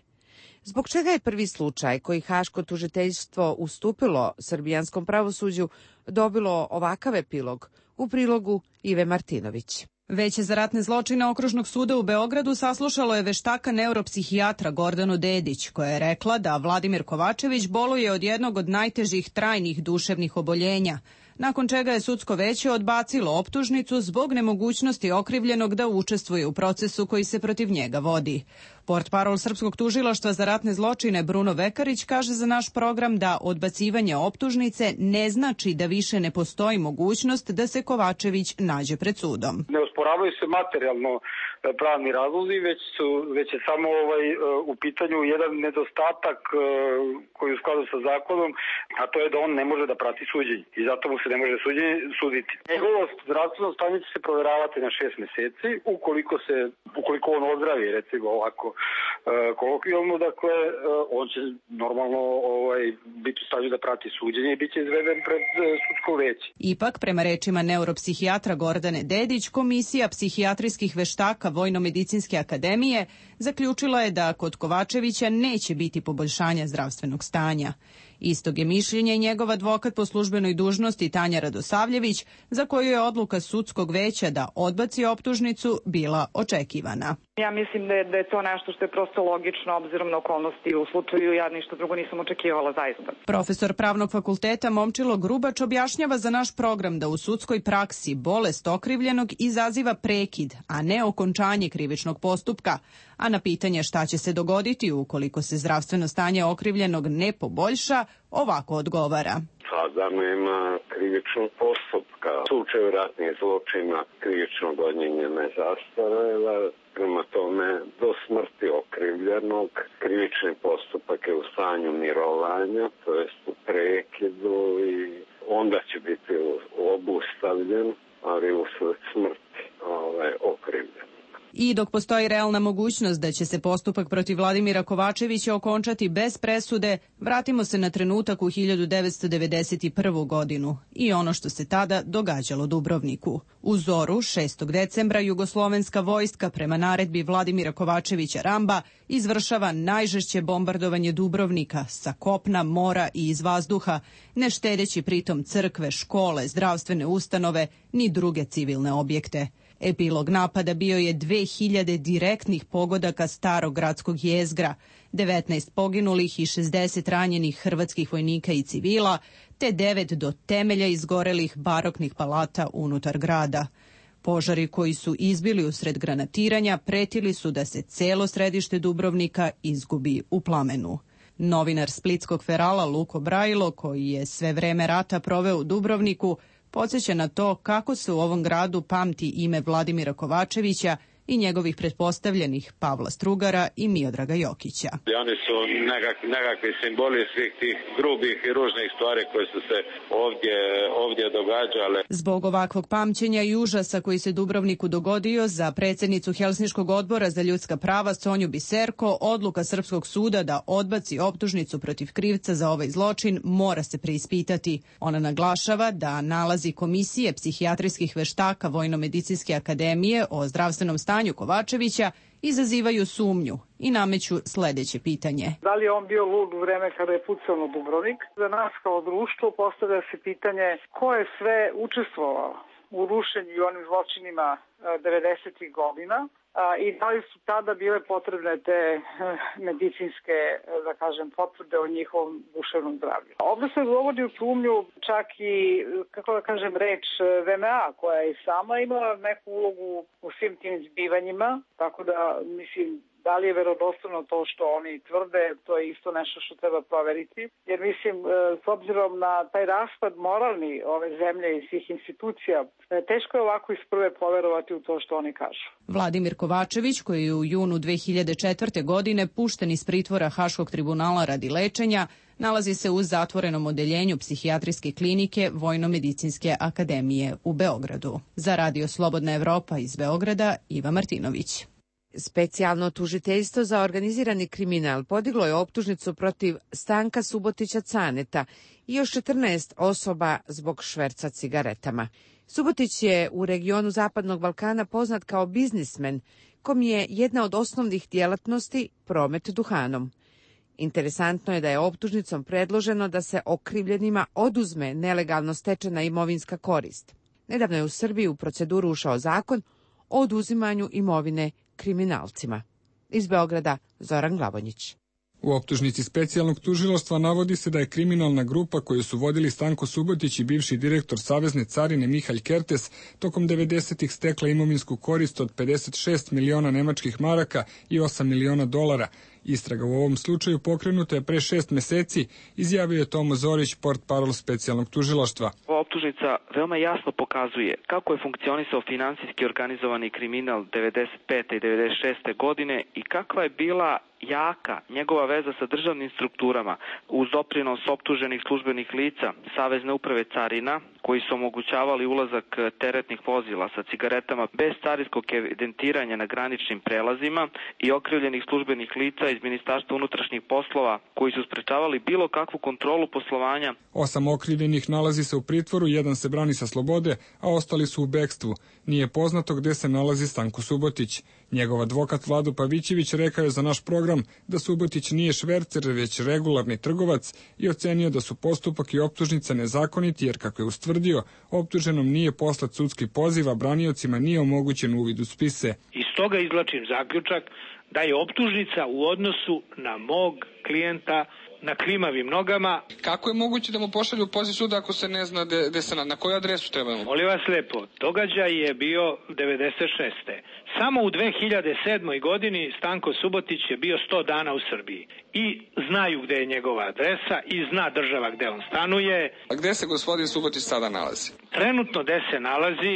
Zbog čega je prvi slučaj koji Haško tužiteljstvo ustupilo srbijanskom pravosuđu dobilo ovakav epilog, u prilogu Ive Martinović.
Veće za ratne zločine Okružnog suda u Beogradu saslušalo je veštaka neuropsihijatra Gordanu Dedić, koja je rekla da Vladimir Kovačević boluje od jednog od najtežih trajnih duševnih oboljenja, nakon čega je sudsko veće odbacilo optužnicu zbog nemogućnosti okrivljenog da učestvuje u procesu koji se protiv njega vodi. Portparol Srpskog tužilaštva za ratne zločine Bruno Vekarić kaže za naš program da odbacivanje optužnice ne znači da više ne postoji mogućnost da se Kovačević nađe pred sudom.
Ne osporavaju se materijalno pravni razlozi, već su već je samo ovaj u pitanju jedan nedostatak koji je u skladu sa zakonom, a to je da on ne može da prati suđenje i zato mu se ne može suđenje suditi. Njegovo zdravstveno stanje će se proveravati na šest meseci, ukoliko se ukoliko on ozdravi, recimo ovako kolokvijalno, dakle on će normalno ovaj biti u stanju da prati suđenje i biće izveden pred sudsko veće.
Ipak, prema rečima neuropsihijatra Gordane Dedić, komisija psihijatrijskih veštaka Vojno-medicinske akademije zaključila je da kod Kovačevića neće biti poboljšanja zdravstvenog stanja. Istog je mišljenja i njegov advokat po službenoj dužnosti Tanja Radosavljević, za koju je odluka sudskog veća da odbaci optužnicu bila očekivana.
Ja mislim da je, da je to nešto što je prosto logično obzirom na okolnosti u slučaju, ja ništa drugo nisam očekivala zaista.
Profesor Pravnog fakulteta Momčilo Grubač objašnjava za naš program da u sudskoj praksi bolest okrivljenog izaziva prekid, a ne okončanje krivičnog postupka, a na pitanje šta će se dogoditi ukoliko se zdravstveno stanje okrivljenog ne poboljša, ovako odgovara.
Sada nema krivičnog postupka. U slučaju ratnih zločina krivično gonjenje ne zastareva, prema tome do smrti okrivljenog krivični postupak je u stanju mirovanja, to jest u prekidu i onda će biti obustavljen, ali usled smrti ovaj, okrivljen.
I dok postoji realna mogućnost da će se postupak protiv Vladimira Kovačevića okončati bez presude, vratimo se na trenutak u hiljadu devetsto devedeset prvu. godinu i ono što se tada događalo Dubrovniku. U zoru šestog decembra jugoslovenska vojska prema naredbi Vladimira Kovačevića Ramba izvršava najžešće bombardovanje Dubrovnika sa kopna, mora i iz vazduha, ne štedeći pritom crkve, škole, zdravstvene ustanove ni druge civilne objekte. Epilog napada bio je dve hiljade direktnih pogodaka starog gradskog jezgra, devetnaest poginulih i šezdeset ranjenih hrvatskih vojnika i civila, te devet do temelja izgorelih baroknih palata unutar grada. Požari koji su izbili usred granatiranja pretili su da se celo središte Dubrovnika izgubi u plamenu. Novinar splitskog Ferala Luko Brajilo, koji je sve vreme rata proveo u Dubrovniku, podsjeća na to kako se u ovom gradu pamti ime Vladimira Kovačevića i njegovih pretpostavljenih Pavla Strugara i Miodraga Jokića.
Oni su nekak, nekakvi simboli svih tih grubih i ružnih stvari koje su se ovdje, ovdje događale.
Zbog ovakvog pamćenja i užasa koji se Dubrovniku dogodio, za predsjednicu Helsinškog odbora za ljudska prava Sonju Biserko odluka Srpskog suda da odbaci optužnicu protiv krivca za ovaj zločin mora se preispitati. Ona naglašava da nalazi komisije psihijatrijskih veštaka Vojno-medicinske akademije o zdravstvenom stanju stanju Kovačevića izazivaju sumnju i nameću sledeće pitanje.
Da li je on bio lud u vreme kada je pucao na Dubrovnik? Za nas kao društvo postavlja se pitanje ko je sve učestvovao u rušenju i onim zločinima devedesetih godina i da li su tada bile potrebne te medicinske, da kažem, potvrde o njihovom duševnom zdravlju. Ovdje se dovodi u sumnju čak i, kako da kažem, reč V M A koja je sama imala neku ulogu u svim tim zbivanjima, tako da, mislim, da li je verodostojno to što oni tvrde, to je isto nešto što treba proveriti. Jer mislim, s obzirom na taj raspad moralni ove zemlje i svih institucija, teško je ovako iz prve poverovati u to što oni kažu.
Vladimir Kovačević, koji je u junu dve hiljade četvrte. godine pušten iz pritvora Haškog tribunala radi lečenja, nalazi se u zatvorenom odeljenju psihijatrijske klinike Vojno-medicinske akademije u Beogradu. Za Radio Slobodna Evropa iz Beograda, Iva Martinović.
Specijalno tužiteljstvo za organizirani kriminal podiglo je optužnicu protiv Stanka Subotića Caneta i još četrnaest osoba zbog šverca cigaretama. Subotić je u regionu Zapadnog Balkana poznat kao biznismen, kom je jedna od osnovnih djelatnosti promet duhanom. Interesantno je da je optužnicom predloženo da se okrivljenima oduzme nelegalno stečena imovinska korist. Nedavno je u Srbiji u proceduru ušao zakon o oduzimanju imovine kriminalcima. Iz Beograda, Zoran Glavonjić.
U optužnici specijalnog tužilaštva navodi se da je kriminalna grupa koju su vodili Stanko Subotić i bivši direktor Savezne carine Mihalj Kertes tokom devedesetih stekla imovinsku korist od pedeset šest miliona nemačkih maraka i osam miliona dolara. Istraga u ovom slučaju pokrenuta je pre šest meseci, izjavio je Tomo Zorić, portparol specijalnog tužilaštva.
Ova optužnica veoma jasno pokazuje kako je funkcionisao finansijski organizovani kriminal devedeset pete i devedeset šeste. godine i kakva je bila jaka njegova veza sa državnim strukturama uz doprinos optuženih službenih lica Savezne uprave carina koji su omogućavali ulazak teretnih vozila sa cigaretama bez carinskog evidentiranja na graničnim prelazima i okrivljenih službenih lica iz Ministarstva unutrašnjih poslova koji su sprečavali bilo kakvu kontrolu poslovanja.
Osam okrivljenih nalazi se u pritvoru, jedan se brani sa slobode, a ostali su u bekstvu. Nije poznato gde se nalazi Stanko Subotić. Njegov advokat Vlado Pavićević rekao je za naš program da Subotić nije švercer, već regularni trgovac i ocenio da su postupak i optužnica nezakoniti, jer kako je ustvrdio, optuženom nije poslat sudski poziv, a braniocima nije omogućen uvid u spise.
Iz toga izvlačim zaključak da je optužnica u odnosu na mog klijenta na klimavim nogama.
Kako je moguće da mu pošalju poziv suda ako se ne zna de, de se na, na koju adresu trebamo?
Molim vas lepo, događaj je bio devedeset šeste. Samo u dve hiljade sedmoj. godini Stanko Subotić je bio sto dana u Srbiji. I znaju gde je njegova adresa i zna država gde on stanuje.
A gde se gospodin Subotić sada nalazi?
Trenutno gde se nalazi,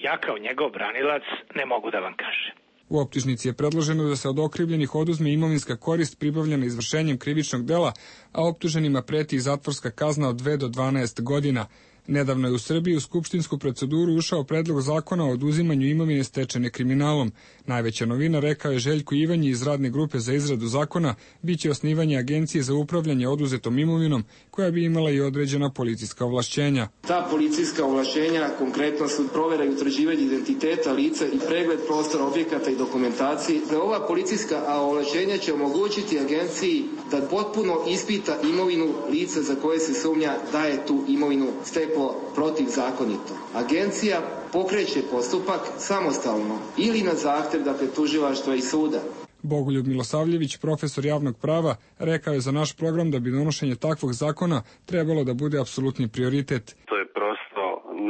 ja kao njegov branilac ne mogu da vam kažem.
U optužnici je predloženo da se od okrivljenih oduzme imovinska korist pribavljena izvršenjem krivičnog dela, a optuženima preti i zatvorska kazna od dve do dvanaest godina. Nedavno je u Srbiji u skupštinsku proceduru ušao predlog zakona o oduzimanju imovine stečene kriminalom. Najveća novina, rekao je Željko Ivanji iz radne grupe za izradu zakona, biće osnivanje agencije za upravljanje oduzetom imovinom, koja bi imala i određena policijska ovlašćenja.
Ta policijska ovlašćenja konkretno su provera i utvrđivanje identiteta lica i pregled prostora objekata i dokumentacije. Ova policijska ovlašćenja će omogućiti agenciji da potpuno ispita imovinu lica za koje se sumnja da je tu imovinu steklo protivzakonito. Agencija pokreće postupak samostalno ili na zahtev, dakle, tužilaštva i suda.
Bogoljub Milosavljević, profesor javnog prava, rekao je za naš program da bi donošenje takvog zakona trebalo da bude apsolutni prioritet.
To je prosto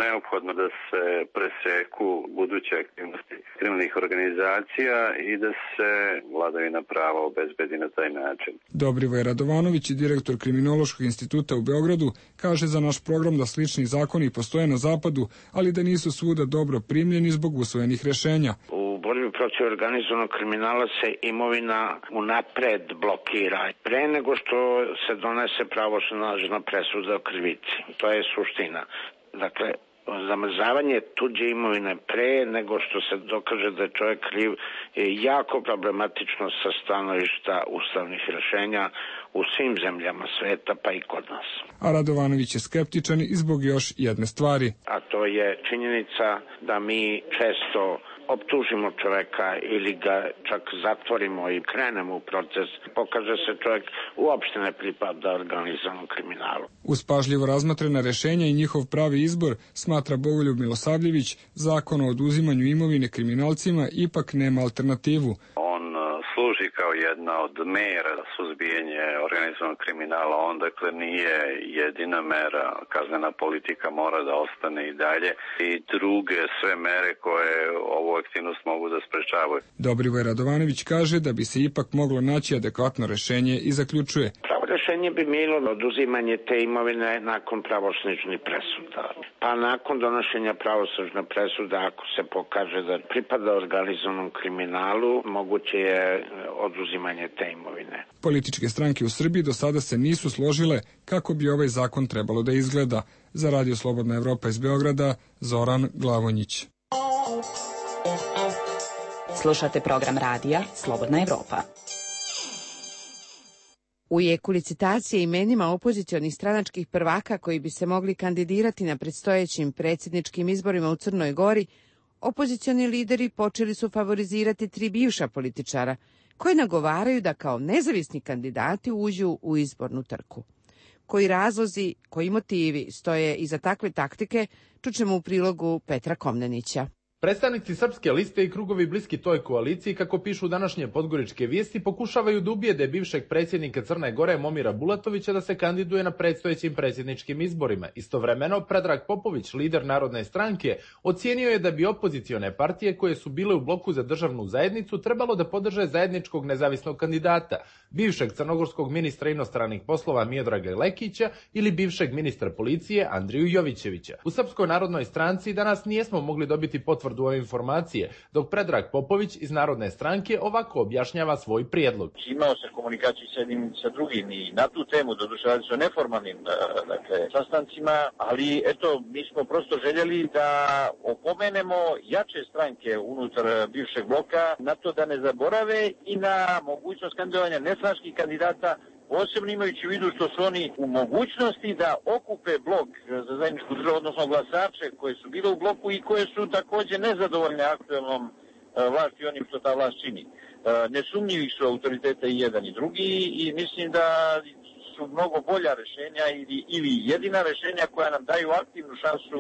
neophodno da se preseku buduće aktivnosti kriminalnih organizacija i da se vladavina prava obezbedi na taj način.
Dobrivoje Radovanović, direktor Kriminološkog instituta u Beogradu, kaže za naš program da slični zakoni postoje na zapadu, ali da nisu svuda dobro primljeni zbog usvojenih rešenja.
U borbi protiv organizovanog kriminala se imovina unapred blokira pre nego što se donese pravosnažna presuda o krivici. To je suština. Dakle, zamrzavanje tuđe imovine pre nego što se dokaže da je čovjek kriv je jako problematično sa stanovišta ustavnih rješenja u svim zemljama sveta, pa i kod nas.
A Radovanović je skeptičan i zbog još jedne stvari.
A to je činjenica da mi često optužimo čoveka ili ga čak zatvorimo i krenemo u proces, pokaže se čovjek uopšte ne pripada organizovanom kriminalu.
Uz pažljivo razmatrena rešenja i njihov pravi izbor, smatra Bogoljub Milosavljević, zakon o oduzimanju imovine kriminalcima ipak nema alternativu.
Služi kao jedna od mera za suzbijanje organizovanog kriminala, on dakle nije jedina mera, kaznena politika mora da ostane i dalje i druge sve mere koje ovu aktivnost mogu da sprečavaju.
Dobrivoje Radovanović kaže da bi se ipak moglo naći adekvatno rešenje i zaključuje.
Pravo rešenje bi bilo oduzimanje te imovine nakon pravosnažnih presuda. Pa nakon donošenja pravosnažne presude, ako se pokaže da pripada organizovanom kriminalu, moguće je oduzimanje te imovine.
Političke stranke u Srbiji do sada se nisu složile kako bi ovaj zakon trebalo da izgleda. Za Radio Slobodna Evropa iz Beograda, Zoran Glavonjić.
Slušate program radija Slobodna Evropa.
U jeku licitacije imenima opozicionih stranačkih prvaka koji bi se mogli kandidirati na predstojećim predsjedničkim izborima u Crnoj Gori, opozicioni lideri počeli su favorizirati tri bivša političara, koji nagovaraju da kao nezavisni kandidati uđu u izbornu trku. Koji razlozi, koji motivi stoje iza takve taktike, čućemo u prilogu Petra Komnenića.
Predstavnici Srpske liste i krugovi bliski toj koaliciji, kako pišu današnje podgoričke vijesti, pokušavaju da ubijede bivšeg predsjednika Crne Gore Momira Bulatovića da se kandiduje na predstojećim predsjedničkim izborima. Istovremeno, Predrag Popović, lider Narodne stranke, ocijenio je da bi opozicione partije koje su bile u bloku za državnu zajednicu trebalo da podrže zajedničkog nezavisnog kandidata, bivšeg crnogorskog ministra inostranih poslova Miodraga Lekića ili bivšeg ministra policije Andriju Jovićevića. U Srpskoj narodnoj stranci danas nijesmo mogli dobiti potvrdu ove informacije, dok Predrag Popović iz Narodne stranke ovako objašnjava svoj prijedlog.
Imao se komunikaciju sa jednim sa drugim i na tu temu, doduše radi se o neformalnim dakle, sastancima, ali eto, mi smo prosto željeli da opomenemo jače stranke unutar bivšeg bloka na to da ne zaborave i na mogućnost kandidovanja nestranačkih kandidata, posebno imajući u vidu što su oni u mogućnosti da okupe blok za zajedničku državu, odnosno glasače koje su bile u bloku i koje su također nezadovoljne aktuelnom vlasti onim što ta vlast čini. Nesumnjivi su autoritete i jedan i drugi i mislim da su mnogo bolja rešenja ili, ili jedina rešenja koja nam daju aktivnu šansu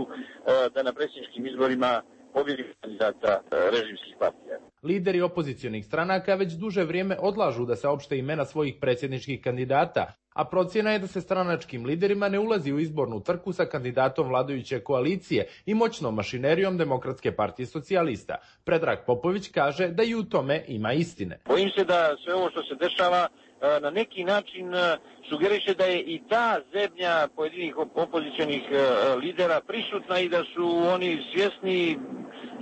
da na predsjedničkim izborima pobjedi kandidata režimskih partija.
Lideri opozicionih stranaka već duže vrijeme odlažu da se opšte imena svojih predsjedničkih kandidata, a procjena je da se stranačkim liderima ne ulazi u izbornu trku sa kandidatom vladajuće koalicije i moćnom mašinerijom Demokratske partije socijalista. Predrag Popović kaže da i u tome ima istine.
Bojim se da sve ovo što se dešava na neki način sugeriše da je i ta zebnja pojedinih opozicionih lidera prisutna i da su oni svjesni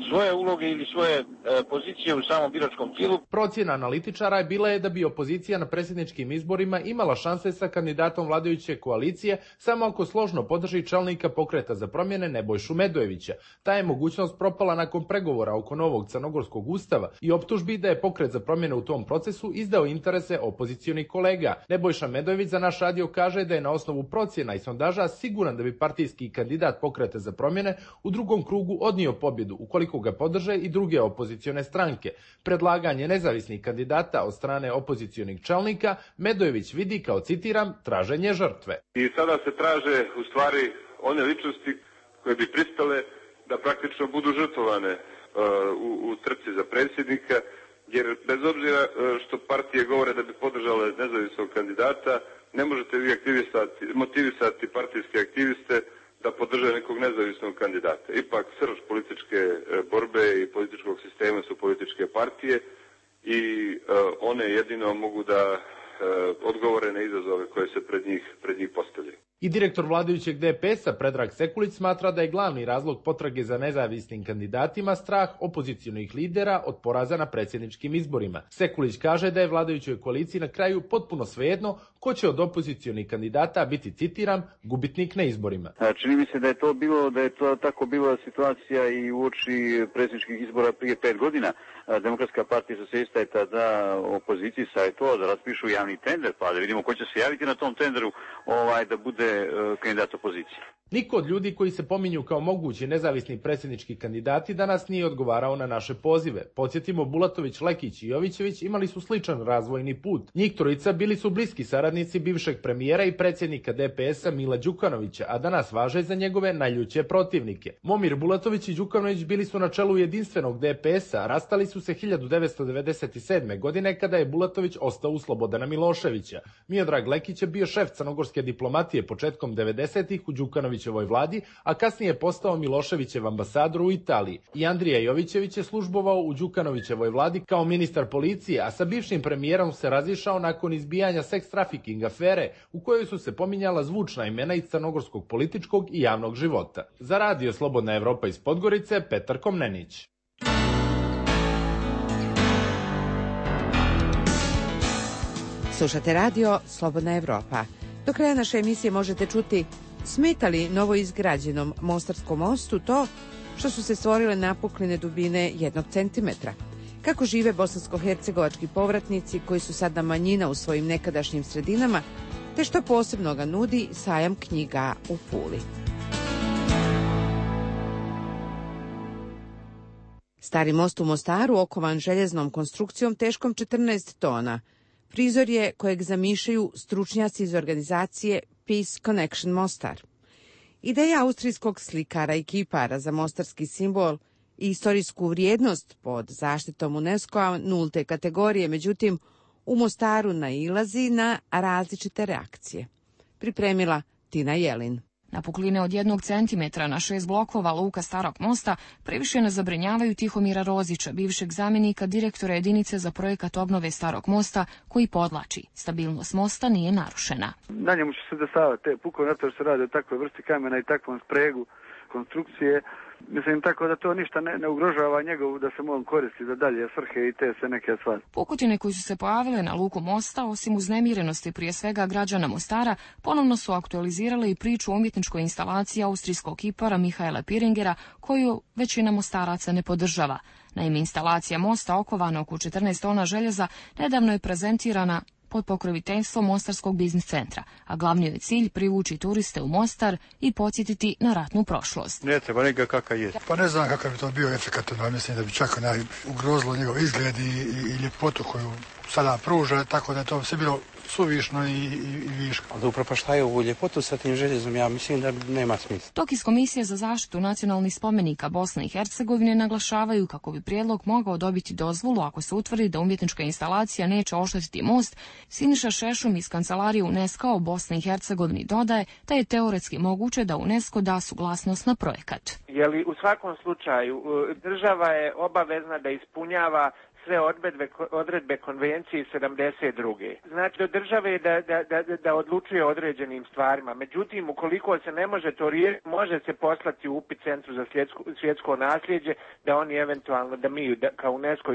svoje uloge ili svoje pozicije u samom biračkom tijelu.
Procjena analitičara je bila je da bi opozicija na predsjedničkim izborima imala šanse sa kandidatom vladajuće koalicije samo ako složno podrži čelnika Pokreta za promjene Nebojšu Medojevića. Ta je mogućnost propala nakon pregovora oko novog crnogorskog ustava i optužbi da je Pokret za promjene u tom procesu izdao interese opozicionih kolega. Nebojša Medojević za naš radio kaže da je na osnovu procjena i sondaža siguran da bi partijski kandidat Pokreta za promjene u drugom krugu odnio pobjedu ukoliko ga podrže i druge opozicione stranke. Predlaganje nezavisnih kandidata od strane opozicionih čelnika Medojević vidi kao, citiram, traženje žrtve.
I sada se traže u stvari one ličnosti koje bi pristale da praktično budu žrtvovane uh, u, u trci za predsjednika jer bez obzira što partije govore da bi podržale nezavisnog kandidata, ne možete vi aktivisati, motivisati partijske aktiviste da podrže nekog nezavisnog kandidata. Ipak srž političke borbe i političkog sistema su političke partije i one jedino mogu da odgovore na izazove koje se pred njih, pred njih postavljaju.
I direktor vladajućeg D P S-a Predrag Sekulić smatra da je glavni razlog potrage za nezavisnim kandidatima strah opozicionih lidera od poraza na predsjedničkim izborima. Sekulić kaže da je vladajućoj koaliciji na kraju potpuno svejedno ko će od opozicionih kandidata biti, citiram, gubitnik na izborima.
Čini mi se da je to bilo, da je to tako bila situacija i uoči predsjedničkih izbora prije pet godina. Demokratska partija socijalista je tada opoziciji savjetovala da raspišu javni tender, pa da vidimo ko će se javiti na tom tenderu ovaj, da bude kandidat opozicije.
Niko od ljudi koji se pominju kao mogući nezavisni predsjednički kandidati danas nije odgovarao na naše pozive. Podsjetimo, Bulatović, Lekić i Jovićević imali su sličan razvojni put. Njih trojica bili su bliski saradnici bivšeg premijera i predsjednika D P S-a Mila Đukanovića, a danas važe za njegove najljuće protivnike. Momir Bulatović i Đukanović bili su na čelu jedinstvenog D P S-a, a rastali su se hiljadu devetsto devedeset sedme. godine kada je Bulatović ostao u Slobodana Miloševića. Miodrag Lekić je bio šef crnogorske diplomatije početkom devedesetih u Đukanovićevoj vladi, a kasnije je postao Miloševićev ambasador u Italiji. I Andrija Jovićević je službovao u Đukanovićevoj vladi kao ministar policije, a sa bivšim premijerom se razišao nakon izbijanja seks trafiking afere u kojoj su se pominjala zvučna imena iz crnogorskog političkog i javnog života. Za Radio Slobodna Evropa iz Podgorice, Petar Komnenić.
Slušate radio Slobodna Evropa. Do kraja naše emisije možete čuti: smeta li novoizgrađenom Mostarskom mostu to što su se stvorile napukline dubine jednog centimetra? Kako žive bosansko-hercegovački povratnici koji su sada manjina u svojim nekadašnjim sredinama, te što posebno ga nudi sajam knjiga u Puli? Stari most u Mostaru, okovan željeznom konstrukcijom teškom četrnaest tona, prizor je kojeg zamišljaju stručnjaci iz organizacije Peace Connection Mostar. Ideja austrijskog slikara i kipara za mostarski simbol i istorijsku vrijednost pod zaštitom UNESCO-a nulte kategorije, međutim, u Mostaru nailazi na različite reakcije. Pripremila Tina Jelin.
Napukline od jednog centimetra na šest blokova luka Starog mosta previše ne zabrinjavaju Tihomira Rozića, bivšeg zamjenika direktora jedinice za projekat obnove Starog mosta, koji podlači: stabilnost mosta nije narušena.
Na njemu će se dešavati te puko, zato što se radi o takvoj vrsti kamena i takvom spregu konstrukcije. Mislim, tako da to ništa ne, ne ugrožava njegovu da se on koristi za dalje svrhe i te sve neke stvari.
Pukotine koji su se pojavile na luku mosta, osim uznemirenosti prije svega građana Mostara, ponovno su aktualizirale i priču o umjetničkoj instalaciji austrijskog kipara Mihaela Piringera, koju većina mostaraca ne podržava. Naime, instalacija mosta okovana oko četrnaest tona željeza nedavno je prezentirana pod pokroviteljstvom Mostarskog biznis centra, a glavni je cilj privući turiste u Mostar i podsjetiti na ratnu prošlost.
Ne treba njega kakav je. Pa ne znam kakav bi to bio efekat, no, mislim da bi čak onaj ugrozilo njegov izgled i, i, i ljepotu koju sada pruža, tako da je to sve bilo suvišno i, i, i viško.
Da upropaštaju ovu ljepotu sa tim željezom, ja mislim da nema smisla.
Dok iz Komisije za zaštitu nacionalnih spomenika Bosne i Hercegovine naglašavaju kako bi prijedlog mogao dobiti dozvolu ako se utvrdi da umjetnička instalacija neće oštetiti most, Siniša Šešum iz kancelarije UNESCO-a u Bosni i Hercegovini dodaje da je teoretski moguće da UNESCO da suglasnost na projekat.
Jeli u svakom slučaju država je obavezna da ispunjava sve odredbe, odredbe konvencije sedamdeset druge. Znači, do države je da, da, da, da odlučuje o određenim stvarima. Međutim, ukoliko se ne može to riješiti, može se poslati upit Centru za svjetsko, svjetsko nasljeđe, da oni eventualno, da mi da, kao UNESCO,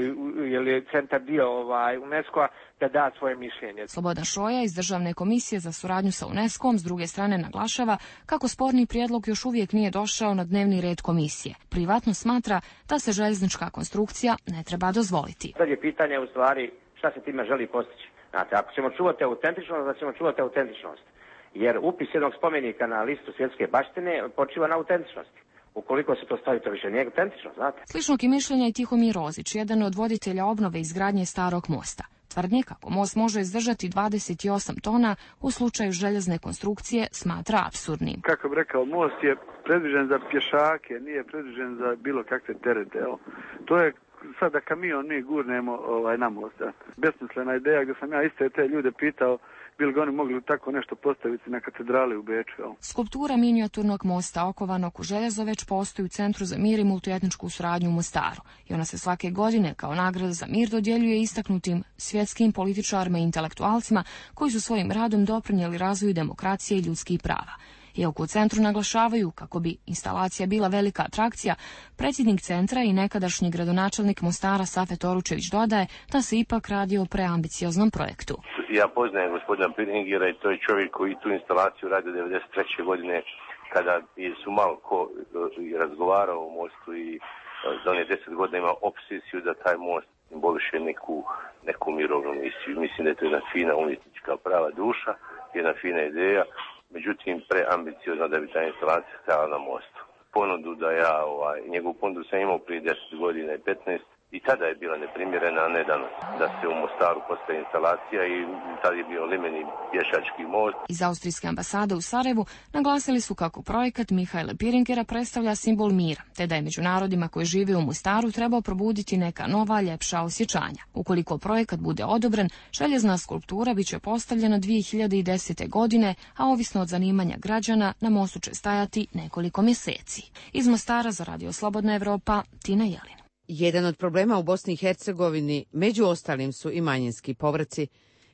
jer je centar dio ovaj, UNESCO-a, da da svoje mišljenje.
Slobodan Šoja iz Državne komisije za suradnju sa UNESCO-om s druge strane naglašava kako sporni prijedlog još uvijek nije došao na dnevni red komisije. Privatno smatra da se željeznička konstrukcija ne treba dozvoliti.
Sad je pitanje u stvari šta se time želi postići. Znate, ako ćemo čuvati autentičnost, da ćemo čuvati autentičnost. Jer upis jednog spomenika na listu svjetske baštine počiva na autentičnosti. Ukoliko se to stavi, to više nije autentično, znate.
Sličnog je mišljenja i Tihomir Rozić, jedan od voditelja obnove i izgradnje Starog mosta. Tvrdnje kako most može izdržati dvadeset osam tona u slučaju željezne konstrukcije smatra apsurdnim.
Kako bi rekao, most je predviđen za pješake, nije predviđen za bilo kakve terete. Evo. To je sada kamion mi gurnemo ovaj, na most. Besmislena ideja gdje sam ja iste te ljude pitao bili ga oni mogli tako nešto postaviti na katedrali u Beču.
Skulptura minijaturnog mosta okovanog u željezo već postoji u Centru za mir i multietničku suradnju u Mostaru i ona se svake godine kao nagrada za mir dodjeljuje istaknutim svjetskim političarima i intelektualcima koji su svojim radom doprinijeli razvoju demokracije i ljudskih prava. Iako u centru naglašavaju kako bi instalacija bila velika atrakcija, predsjednik centra i nekadašnji gradonačelnik Mostara Safet Oručević dodaje da se ipak radi o preambicioznom projektu.
Ja poznajem gospodina Piringera i to je čovjek koji tu instalaciju radi devedeset treće godine kada su malo ko razgovarao o mostu i za onih deset godina ima obsesiju da taj most simboliše neku, neku mirovnu misiju. Mislim da je to jedna fina umjetnička prava duša, jedna fina ideja. Međutim, preambiciozno da bi ta instalacija stajala na mostu. Ponudu da ja, ovaj, njegovu ponudu sam imao prije deset godina i petnaest i tada je bila neprimjerena, a ne danas. Da se u Mostaru postaje instalacija i tada je bio limeni pješački most.
Iz austrijske ambasade u Sarajevu naglasili su kako projekat Mihaela Piringera predstavlja simbol mira, te da je među narodima koji žive u Mostaru trebao probuditi neka nova, ljepša osjećanja. Ukoliko projekat bude odobren, željezna skulptura biće postavljena dvije hiljade desete. godine, a ovisno od zanimanja građana, na mostu će stajati nekoliko mjeseci. Iz Mostara za Radio Slobodna Evropa, Tina Jelin.
Jedan od problema u Bosni i Hercegovini, među ostalim, su i manjinski povrci.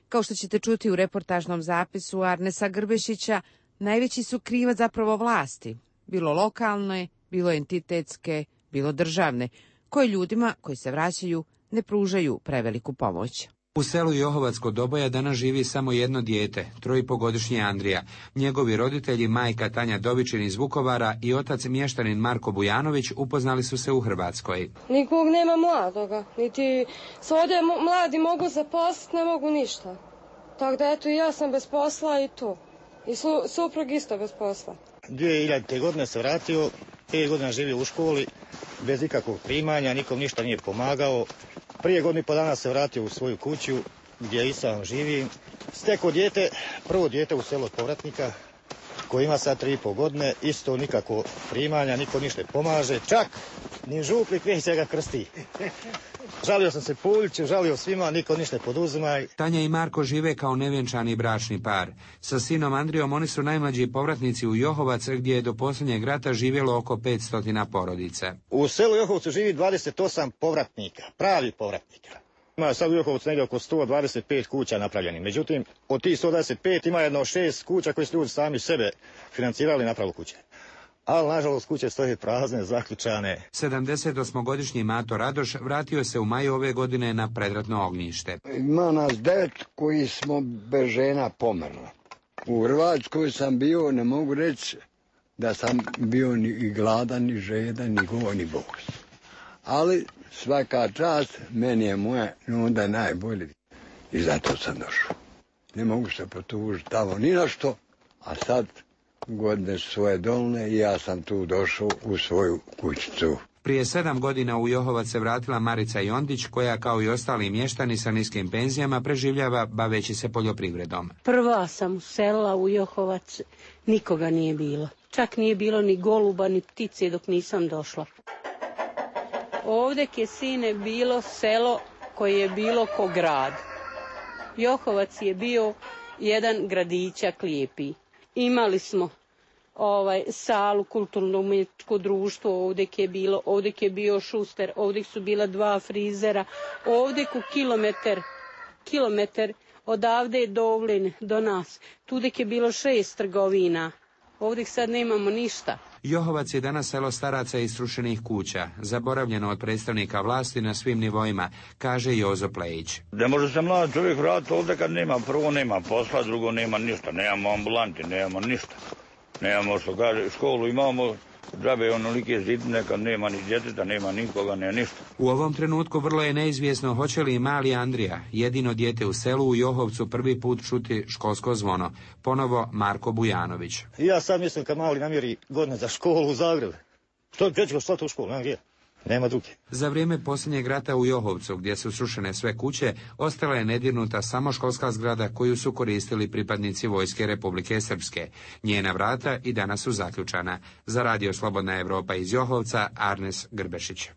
Kao što ćete čuti u reportažnom zapisu Arnesa Grbešića, najveći su krivac zapravo vlasti, bilo lokalne, bilo entitetske, bilo državne, koje ljudima koji se vraćaju ne pružaju preveliku pomoć.
U selu Johovac kod Doboja danas živi samo jedno dijete, trojipogodišnji Andrija. Njegovi roditelji, majka Tanja Dovičin iz Vukovara i otac mještanin Marko Bujanović upoznali su se u Hrvatskoj.
Nikog nema mladoga, niti se ovdje mladi mogu zaposliti, ne mogu ništa. Tako da eto i ja sam bez posla i tu. I su, suprug isto bez posla.
dvije hiljadite. godine se vratio, pet godina živio u školi, bez ikakvog primanja, nikom ništa nije pomagao. Prije godinu i po dana se vratio u svoju kuću gdje i sam živim. Stekao dijete, prvo dijete u selu od povratnika koji ima sad tri i pol godine, isto nikako primanja, niko ništa pomaže, čak ni župnik neće ga krsti. Žalio sam se Puljiću, žalio svima, niko ništa poduzima.
Tanja i Marko žive kao nevjenčani bračni par. Sa sinom Andrijom oni su najmlađi povratnici u Johovac, gdje je do posljednjeg rata živjelo oko petsto porodica.
U selu Johovcu živi dvadeset osam povratnika, pravi povratnika. Ima sad u Johovcu negdje oko sto dvadeset pet kuća napravljeni. Međutim, od tih sto dvadeset pet ima jedno šest kuća koje su ljudi sami sebe financirali na pravu kuće. Ali, nažalost, kuće stoje prazne, zaključane.
sedamdesetosmogodišnji Mato Radoš vratio se u maju ove godine na predratno ognjište.
Ima nas devet koji smo bez žena pomrla. U Hrvatskoj sam bio, ne mogu reći da sam bio ni gladan, ni žedan, ni go, ni bos. Ali svaka čast, meni je moja onda najbolje. I zato sam došao. Ne mogu se potužiti tamo ni na što, a sad godine su svoje dolne i ja sam tu došao u svoju kućicu.
Prije sedam godina u Johovac se vratila Marica Jondić, koja kao i ostali mještani sa niskim penzijama preživljava baveći se poljoprivredom.
Prva sam uselila u Johovac, nikoga nije bilo. Čak nije bilo ni goluba, ni ptice dok nisam došla. Ovdje je sine bilo selo koje je bilo ko grad. Johovac je bio jedan gradićak lijepi. Imali smo ovaj salu, kulturno-umjetničko društvo, ovdje je bilo, ovdje je bio šuster, ovdje su bila dva frizera, ovdje ku kilometar, kilometar odavde je Dovlin do nas, tude je bilo šest trgovina, ovdje sad nemamo ništa.
Johovac je danas selo staraca i srušenih kuća, zaboravljeno od predstavnika vlasti na svim nivoima, kaže Jozo Plejić.
Ne može se mlad čovjek vratiti ovdje kad nema, prvo nema posla, drugo nema ništa, nemamo ambulanti, nemamo ništa. Nemamo što kaže, školu imamo, džabe onolike zidine kad nema ni djeteta, nema nikoga, nema ništa.
U ovom trenutku vrlo je neizvjesno hoće li mali Andrija, jedino dijete u selu u Johovcu, prvi put čuti školsko zvono. Ponovo Marko Bujanović.
Ja sad mislim kad mali namjeri godine za školu u Zagrebu. Što će ću slati u školu, nema gdje. Nema druge.
Za vrijeme posljednjeg rata u Johovcu, gdje su srušene sve kuće, ostala je nedirnuta samo školska zgrada koju su koristili pripadnici Vojske Republike Srpske. Njena vrata i danas su zaključana. Za Radio Slobodna Evropa iz Johovca, Arnes Grbešić.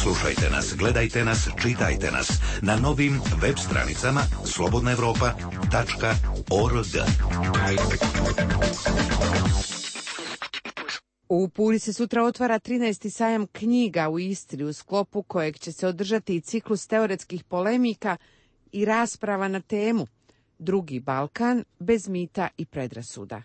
Slušajte nas, gledajte nas, čitajte nas na novim web stranicama slobodna evropa tačka org.
U Puli se sutra otvara trinaesti sajam knjiga u Istri, u sklopu kojeg će se održati i ciklus teoretskih polemika i rasprava na temu Drugi Balkan bez mita i predrasuda.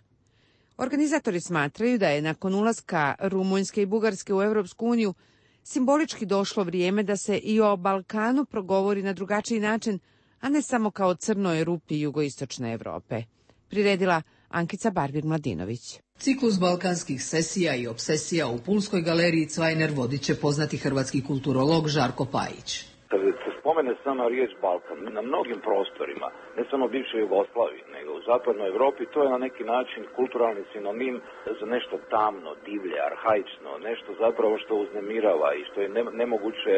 Organizatori smatraju da je nakon ulaska Rumunjske i Bugarske u Europsku uniju simbolički došlo vrijeme da se i o Balkanu progovori na drugačiji način, a ne samo kao crnoj rupi jugoistočne Evrope. Priredila Ankica Barbir-Mladinović.
Ciklus balkanskih sesija i obsesija u Pulskoj galeriji Cvajner vodit će poznati hrvatski kulturolog Žarko Pajić.
Kada se spomene sama riječ Balkan, na mnogim prostorima, ne samo bivšoj Jugoslaviji, nego u zapadnoj Europi, to je na neki način kulturalni sinonim za nešto tamno, divlje, arhaično, nešto zapravo što uznemirava i što je nemoguće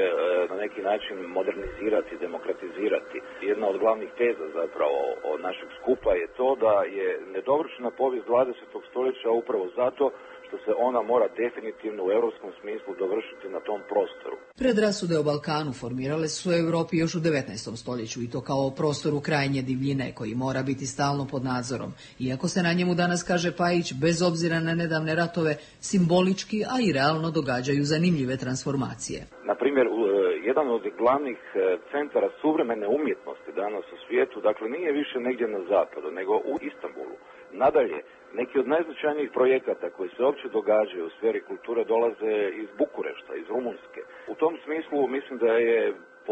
na neki način modernizirati, demokratizirati. Jedna od glavnih teza zapravo od našeg skupa je to da je nedovršena povijest dvadesetog stoljeća upravo zato što se ona mora definitivno u europskom smislu dovršiti na tom prostoru.
Predrasude o Balkanu formirale su u Europi još u devetnaestom stoljeću i to kao prostoru krajnje divljine koji mora biti stalno pod nadzorom. Iako se na njemu danas, kaže Pajić, bez obzira na nedavne ratove, simbolički, a i realno događaju zanimljive transformacije.
Na primjer, jedan od glavnih centara suvremene umjetnosti danas u svijetu, dakle nije više negdje na zapadu, nego u Istanbulu. Nadalje, neki od najznačajnijih projekata koji se uopće događaju u sferi kulture dolaze iz Bukurešta, iz Rumunjske. U tom smislu mislim da je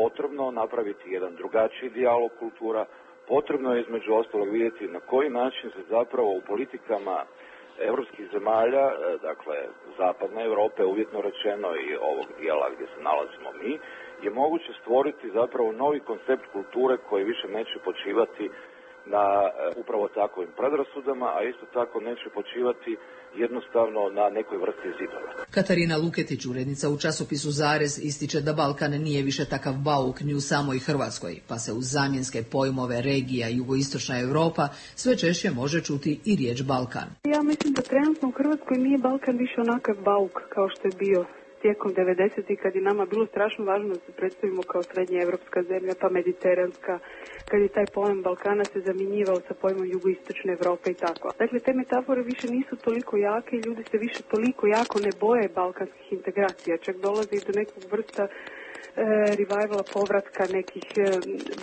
potrebno napraviti jedan drugačiji dijalog kultura, potrebno je između ostalog vidjeti na koji način se zapravo u politikama europskih zemalja, dakle zapadne Europe, uvjetno rečeno i ovog dijela gdje se nalazimo mi, je moguće stvoriti zapravo novi koncept kulture koji više neće počivati na upravo takovim predrasudama, a isto tako neće počivati jednostavno na nekoj vrsti zidova.
Katarina Luketić, urednica u časopisu Zarez, ističe da Balkan nije više takav bauk ni u samoj Hrvatskoj, pa se uz zamjenske pojmove regija i jugoistočna Europa sve češće može čuti i riječ Balkan.
Ja mislim da trenutno u Hrvatskoj nije Balkan više onakav bauk kao što je bio tijekom devedesetih, kad je nama bilo strašno važno da se predstavimo kao srednja evropska zemlja, pa mediteranska, kad je taj pojam Balkana se zamjenjivao sa pojmom jugoistočne Evrope i tako. Dakle, te metafore više nisu toliko jake i ljudi se više toliko jako ne boje balkanskih integracija, čak dolazi do nekog vrsta revivala, povratka nekih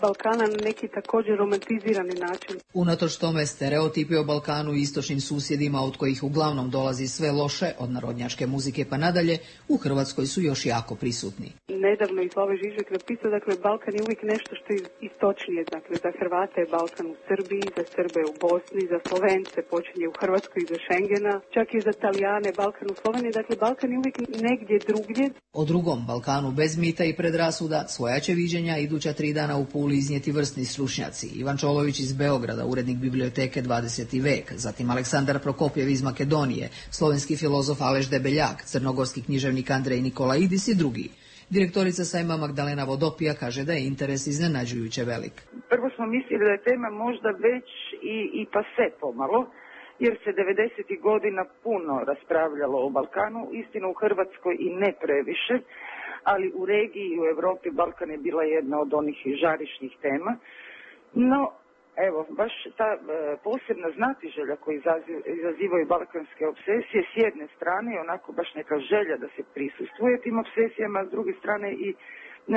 Balkana na neki također romantizirani način.
Unatoč tome, stereotipi o Balkanu i istočnim susjedima, od kojih uglavnom dolazi sve loše, od narodnjačke muzike pa nadalje, u Hrvatskoj su još jako prisutni.
Nedavno i Slavoj Žižek napisao, dakle, Balkan je uvijek nešto što je istočnije. Dakle, za Hrvate je Balkan u Srbiji, za Srbe u Bosni, za Slovence počinje u Hrvatskoj i za Schengena, čak i za Talijane Balkan u Sloveniji. Dakle, Balkan je uvijek negdje drugdje.
O drugom Balkanu bez mita i predrasuda svoja će viđenja iduća tri dana u Puli iznijeti vrsni stručnjaci. Ivan Čolović iz Beograda, urednik biblioteke dvadeseti vek, zatim Aleksandar Prokopjev iz Makedonije, slovenski filozof Aleš Debeljak, crnogorski književnik Andrej Nikolaidis i drugi. Direktorica sajma Magdalena Vodopija kaže da je interes iznenađujuće velik.
Prvo smo mislili da je tema možda već i, i pase pomalo, jer se devedesetih godina puno raspravljalo o Balkanu, istina u Hrvatskoj i ne previše, ali u regiji i u Europi Balkan je bila jedna od onih žarišnih tema. No, evo, baš ta e, posebna znatiželja koji izazivaju balkanske obsesije, s jedne strane je onako baš neka želja da se prisustvuje tim obsesijama, a s druge strane i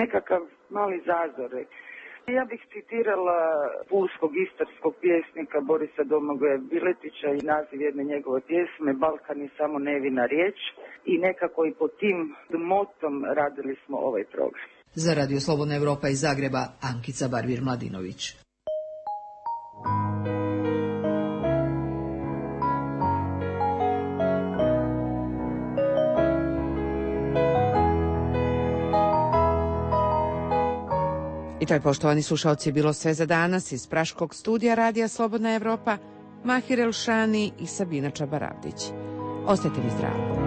nekakav mali zazor. Ja bih citirala pulskog istarskog pjesnika Borisa Domagoja Biletića i naziv jedne njegove pjesme Balkan je samo nevina riječ i nekako i pod tim motom radili smo ovaj program.
Za Radio Slobodna Evropa iz Zagreba, Ankica Barbir-Mladinović.
I to je, poštovani slušalci, bilo sve za danas iz praškog studija Radija Slobodna Evropa, Mahir Elšani i Sabina Čabaravdić. Ostajte mi zdravi.